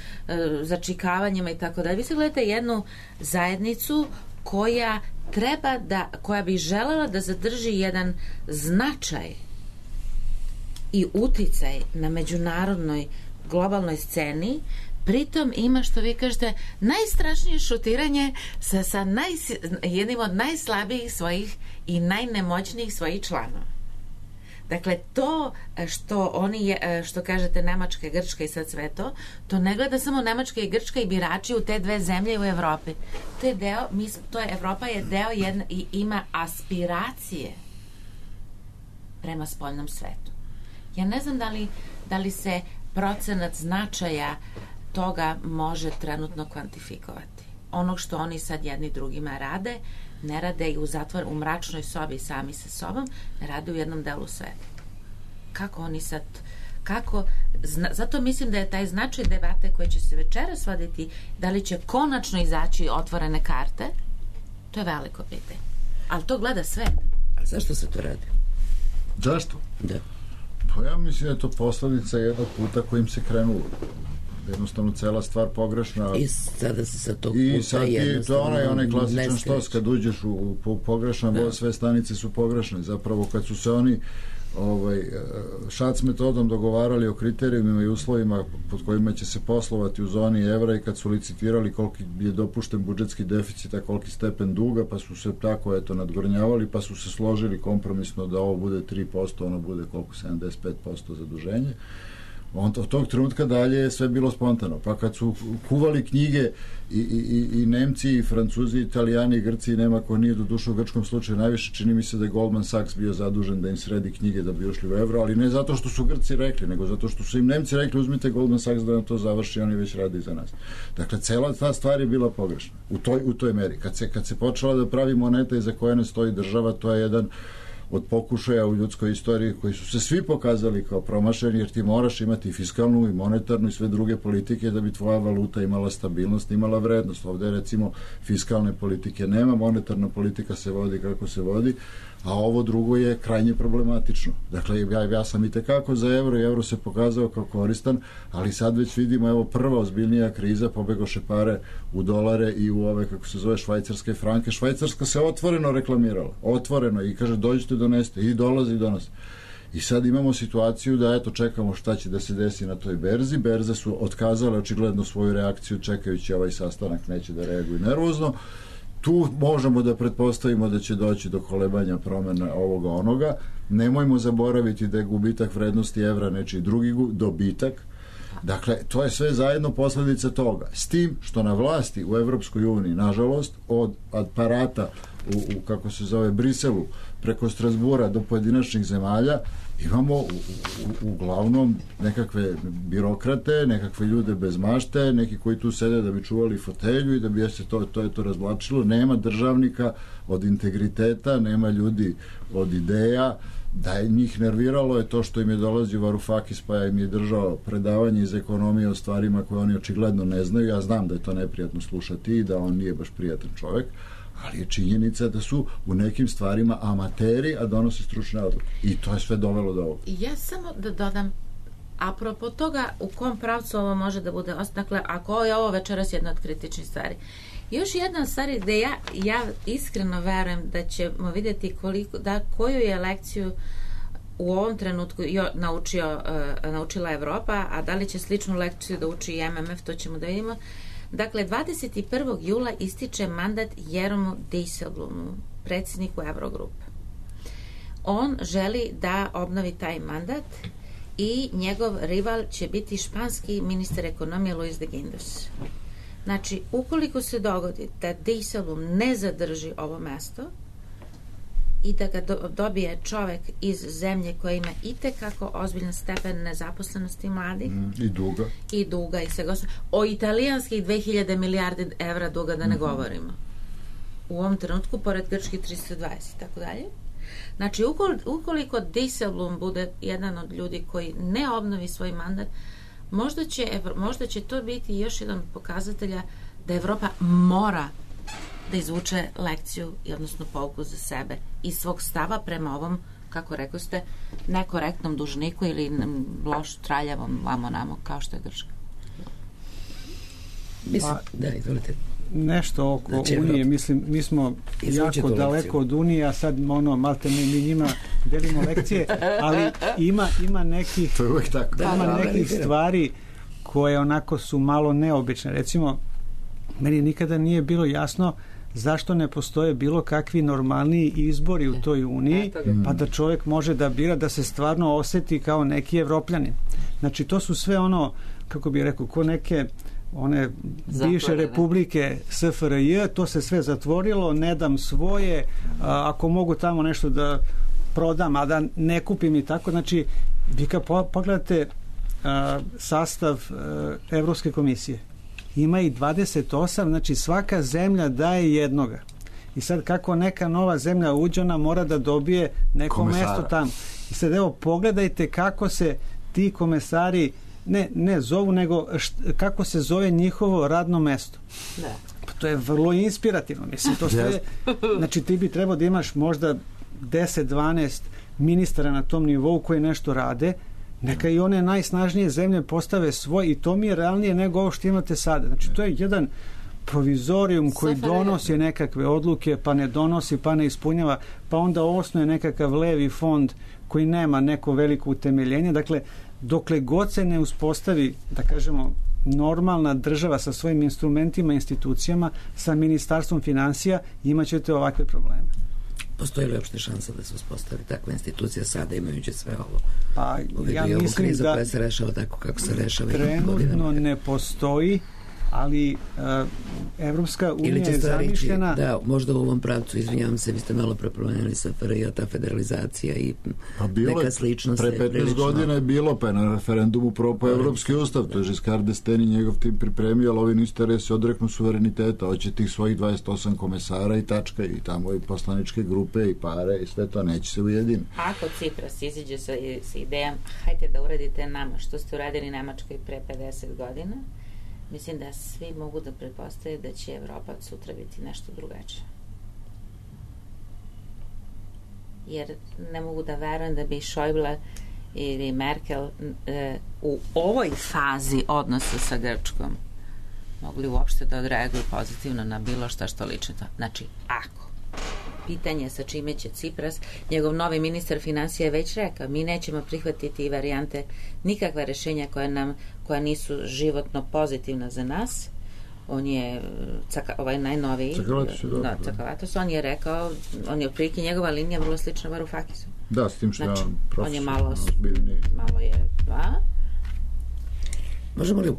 začikavanjima i tako dalje. Vi sad gledate jednu zajednicu koja treba da, koja bi želela da zadrži jedan značaj i uticaj na međunarodnoj globalnoj sceni, pritom ima, što vi kažete, najstrašnije šutiranje sa, sa naj, jednim od najslabijih svojih i najnemoćnijih svojih članova. Dakle, to što oni je, što kažete Nemačka, Grčka i sad sve to, to ne gleda samo Nemačka i Grčka i birači u te dve zemlje u Evropi. To je deo, mi, to je, Evropa je deo jedna i ima aspiracije prema spoljnom svetu. Ja ne znam da li, da li se procenat značaja toga može trenutno kvantifikovati. Onog što oni sad jedni drugima rade, ne rade i u zatvor, u mračnoj sobi sami sa sobom, ne rade u jednom delu sveta. Kako oni sad, kako, zna, zato mislim da je taj značaj debate koje će se večeras voditi, da li će konačno izaći otvorene karte, to je veliko pitanje. Ali to gleda svet. A zašto se to radi? Zašto? Da. Pa ja mislim da je to posledica jednog puta kojim se krenulo. Jednostavno cela stvar pogrešna. I sada se sa tog puta I sad je to onaj, onaj klasičan štos kad uđeš u, u pogrešan voz, sve stanice su pogrešne. Zapravo kad su se oni ovaj, šac metodom dogovarali o kriterijumima i uslovima pod kojima će se poslovati u zoni evra i kad su licitirali koliki je dopušten budžetski deficit, a koliki stepen duga, pa su se tako eto nadgornjavali, pa su se složili kompromisno da ovo bude tri posto, ono bude koliko, sedamdeset pet posto zaduženje. Od tog trenutka dalje je sve bilo spontano. Pa kad su kuvali knjige i, i, i Nemci, i Francuzi, i Italijani, i Grci, i nema ko nije do duše u grčkom slučaju najviše, čini mi se da je Goldman Sachs bio zadužen da im sredi knjige da bi ušli u evro, ali ne zato što su Grci rekli, nego zato što su im Nemci rekli uzmite Goldman Sachs da nam to završi, oni već radi za nas. Dakle, cela ta stvar je bila pogrešna. U toj, u toj meri. Kad se, kad se počela da pravi moneta iza koje ne stoji država, to je jedan od pokušaja u ljudskoj istoriji koji su se svi pokazali kao promašeni, jer ti moraš imati fiskalnu i monetarnu i sve druge politike da bi tvoja valuta imala stabilnost, imala vrednost. Ovde recimo fiskalne politike nema, monetarna politika se vodi kako se vodi, a ovo drugo je krajnje problematično. Dakle, ja, ja sam i tekako za evro i evro se pokazao kao koristan, ali sad već vidimo, evo, prva ozbiljnija kriza, pobegoše pare u dolare i u ove, kako se zove, švajcarske franke. Švajcarska se otvoreno reklamirala, otvoreno, i kaže dođite, doneste, i dolazi i donosi. I sad imamo situaciju da, eto, čekamo šta će da se desi na toj berzi. Berze su otkazale očigledno svoju reakciju čekajući ovaj sastanak, neće da reaguju nervozno. Tu možemo da pretpostavimo da će doći do kolebanja promena ovoga onoga. Nemojmo zaboraviti da je gubitak vrednosti evra nečiji drugi dobitak. Dakle, to je sve zajedno posledica toga. S tim što na vlasti u Evropskoj uniji, nažalost, od aparata u, u kako se zove, Briselu, preko Strasbura do pojedinačnih zemalja, imamo u, u, uglavnom nekakve birokrate, nekakve ljude bez mašte, neki koji tu sede da bi čuvali fotelju i da bi se to, to je to razvlačilo. Nema državnika od integriteta, nema ljudi od ideja. Da je njih nerviralo je to što im je dolazio Varoufakis, pa im je držao predavanje iz ekonomije o stvarima koje oni očigledno ne znaju. Ja znam da je to neprijatno slušati i da on nije baš prijatan čovek, ali je činjenica da su u nekim stvarima amateri, a donose stručne odluke. I to je sve dovelo do ovoga. Ja samo da dodam, apropo toga u kom pravcu ovo može da bude, dakle, ako je ovo večeras jedna od kritičnih stvari. Još jedna stvar gde ja, ja iskreno verujem da ćemo vidjeti koliko, da, koju je lekciju u ovom trenutku jo, naučio, uh, naučila Evropa, a da li će sličnu lekciju da uči i M M F, to ćemo da vidimo. Dakle, dvadeset prvog jula ističe mandat Jeromu Dijsselblumu, predsjedniku Eurogrupe. On želi da obnovi taj mandat i njegov rival će biti španski ministar ekonomije Luis de Guindos. Znači, ukoliko se dogodi da Dijsselbloem ne zadrži ovo mesto i da ga do, dobije čovek iz zemlje koja ima itekako ozbiljan stepen nezaposlenosti mladih mm, i duga i duga i svega o italijanskih dve hiljade milijarde evra duga da ne mm-hmm. govorimo u ovom trenutku pored grčkih tristo dvadeset i tako dalje. Znači, ukoliko Dijsselbloem bude jedan od ljudi koji ne obnovi svoj mandat, možda će, možda će to biti još jedan pokazatelja da Evropa mora da izvuče lekciju i odnosno pouku za sebe i svog stava prema ovom, kako rekao ste, nekorektnom dužniku ili loš traljavom lamonamo kao što je Grčka. Mislim, da, izvolite. Nešto oko znači, Unije, Evropa. Mislim, mi smo Izvuči jako daleko od Unije, a sad ono, malte mi, mi njima delimo lekcije, ali ima, ima nekih, tako. Da, ima da, nekih stvari koje onako su malo neobične. Recimo, meni nikada nije bilo jasno zašto ne postoje bilo kakvi normalniji izbori u toj Uniji, pa da čovjek može da bira da se stvarno oseti kao neki Evropljanin. Znači, to su sve ono, kako bih rekao, ko neke one bivše republike S F R J, to se sve zatvorilo, ne dam svoje, a, ako mogu tamo nešto da prodam, a da ne kupim i tako. Znači, vi kad pogledate a, sastav a, Evropske komisije, ima i dvadeset osam, znači svaka zemlja daje jednoga. I sad kako neka nova zemlja uđe, ona mora da dobije neko komesara. Mesto tamo. I sad evo, pogledajte kako se ti komesari ne, ne zovu, nego št, kako se zove njihovo radno mesto. Da. Pa to je vrlo inspirativno. Mislim, to sve, znači ti bi trebao da imaš možda deset dvanaest ministara na tom nivou koji nešto rade, neka i one najsnažnije zemlje postave svoj i to mi je realnije nego ovo što imate sada. Znači, to je jedan provizorijum koji donosi nekakve odluke, pa ne donosi, pa ne ispunjava, pa onda osnuje nekakav levi fond koji nema neko veliko utemeljenje. Dakle, dokle god se ne uspostavi, da kažemo, normalna država sa svojim instrumentima, institucijama, sa ministarstvom finansija, imat ćete ovakve probleme. Postoji li uopšte šansa da se uspostavi takva institucija sada imajući sve ovo? Pa ja i mislim krizu da koja se rešava tako kako se rešava trenutno ne postoji, ali uh, Evropska unija je zamišljena... Da, možda u ovom pravcu, izvinjavam se, vi ste malo prepromenili S F R J, ta federalizacija i pa neka sličnost. Pre petnaest prilično... godina je bilo, pa je na referendumu propao Evropski ustav, to je Žiskard d'Estaing i njegov tim pripremio, ali ovi nisu se odreknu suvereniteta, hoće tih svojih dvadeset osam komesara i tačka, i tamo i poslaničke grupe i pare i sve to, neće se ujediniti. Ako Cipras iziđe sa, sa idejom, hajte da uradite nama što ste uradili Nemačkoj pre pedeset godina, mislim da svi mogu da pretpostavljaju da će Evropa od sutra biti nešto drugačije. Jer ne mogu da verujem da bi Schäuble ili Merkel e, u ovoj fazi odnosa sa Grčkom mogli uopšte da odreaguju pozitivno na bilo šta što liči to. Znači, ako pitanje sa čime će Cipras, njegov novi ministar finansija je već rekao, mi nećemo prihvatiti varijante, nikakva rešenja koja nam, koja nisu životno pozitivna za nas. On je caka, ovaj najnoviji da, Cakavatos, on je rekao, on je otprilike njegova linija vrlo slična Varoufakisu. Da, s tim što znači, ja on je malo malo je, da. Možemo li,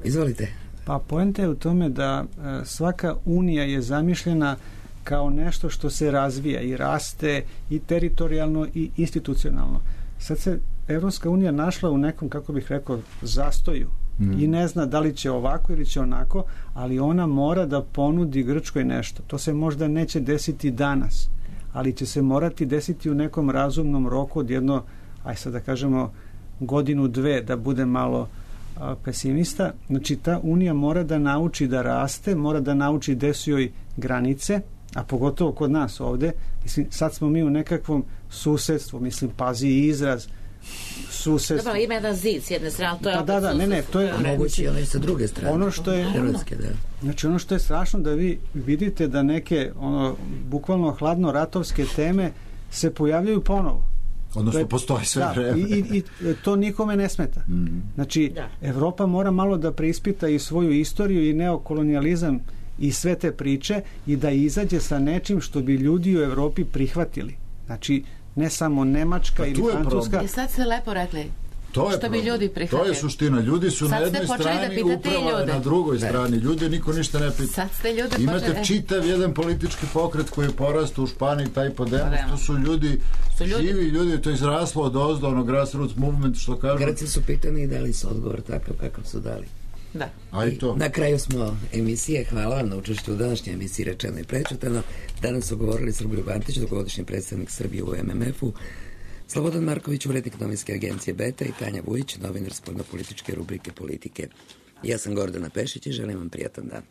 izvolite. Pa poenta je u tome da e, svaka unija je zamišljena kao nešto što se razvija i raste i teritorijalno i institucionalno. Sad se Evropska unija našla u nekom, kako bih rekao, zastoju mm. i ne zna da li će ovako ili će onako, ali ona mora da ponudi Grčkoj nešto. To se možda neće desiti danas, ali će se morati desiti u nekom razumnom roku od jedno, aj sad da kažemo, godinu, dve, da bude malo a, pesimista. Znači, ta unija mora da nauči da raste, mora da nauči gde su joj granice, a pogotovo kod nas ovde, mislim, sad smo mi u nekakvom susedstvu, mislim, pazi izraz, susedstvo. Dobro, ima jedan zid s jedne strane, to je pa, da, da, ne, ne, to je moguće, ali sa druge strane. Ono što je, Hrvatske, da. Znači, ono što je strašno da vi vidite da neke, ono, bukvalno hladno ratovske teme se pojavljaju ponovo. Odnosno, je, postoji sve da, vreme. I, i, I to nikome ne smeta. Mm-hmm. Znači, da. Evropa mora malo da preispita i svoju istoriju i neokolonijalizam i sve te priče i da izađe sa nečim što bi ljudi u Evropi prihvatili. Znači, ne samo Nemačka pa ili Francuska. I sad ste lepo rekli, To je što bi problem. ljudi prihvatili. To je suština. Ljudi su Sad na jednoj strani, uprava je na drugoj da. strani. Ljudi niko ništa ne pita. Sad ste ljude Imate počeli... čitav jedan politički pokret koji je porastao u Španiji, taj Podemos. To su ljudi, su ljudi, živi ljudi, to je izraslo od ozdo, ono grassroots movement, što kažu. Grci su pitani i dali su odgovor takav kakav su dali. Da. I to. Na kraju smo emisije. Hvala vam na učešću u današnjoj emisiji Rečeno i prečutano. Danas su govorili Srboljub Antić, dugogodišnji predstavnik Srbije u M M F-u, Slobodan Marković, urednik novinske agencije Beta i Tanja Vujić, novinar spoljnopolitičke rubrike Politike. Ja sam Gordana Pešić i želim vam prijatan dan.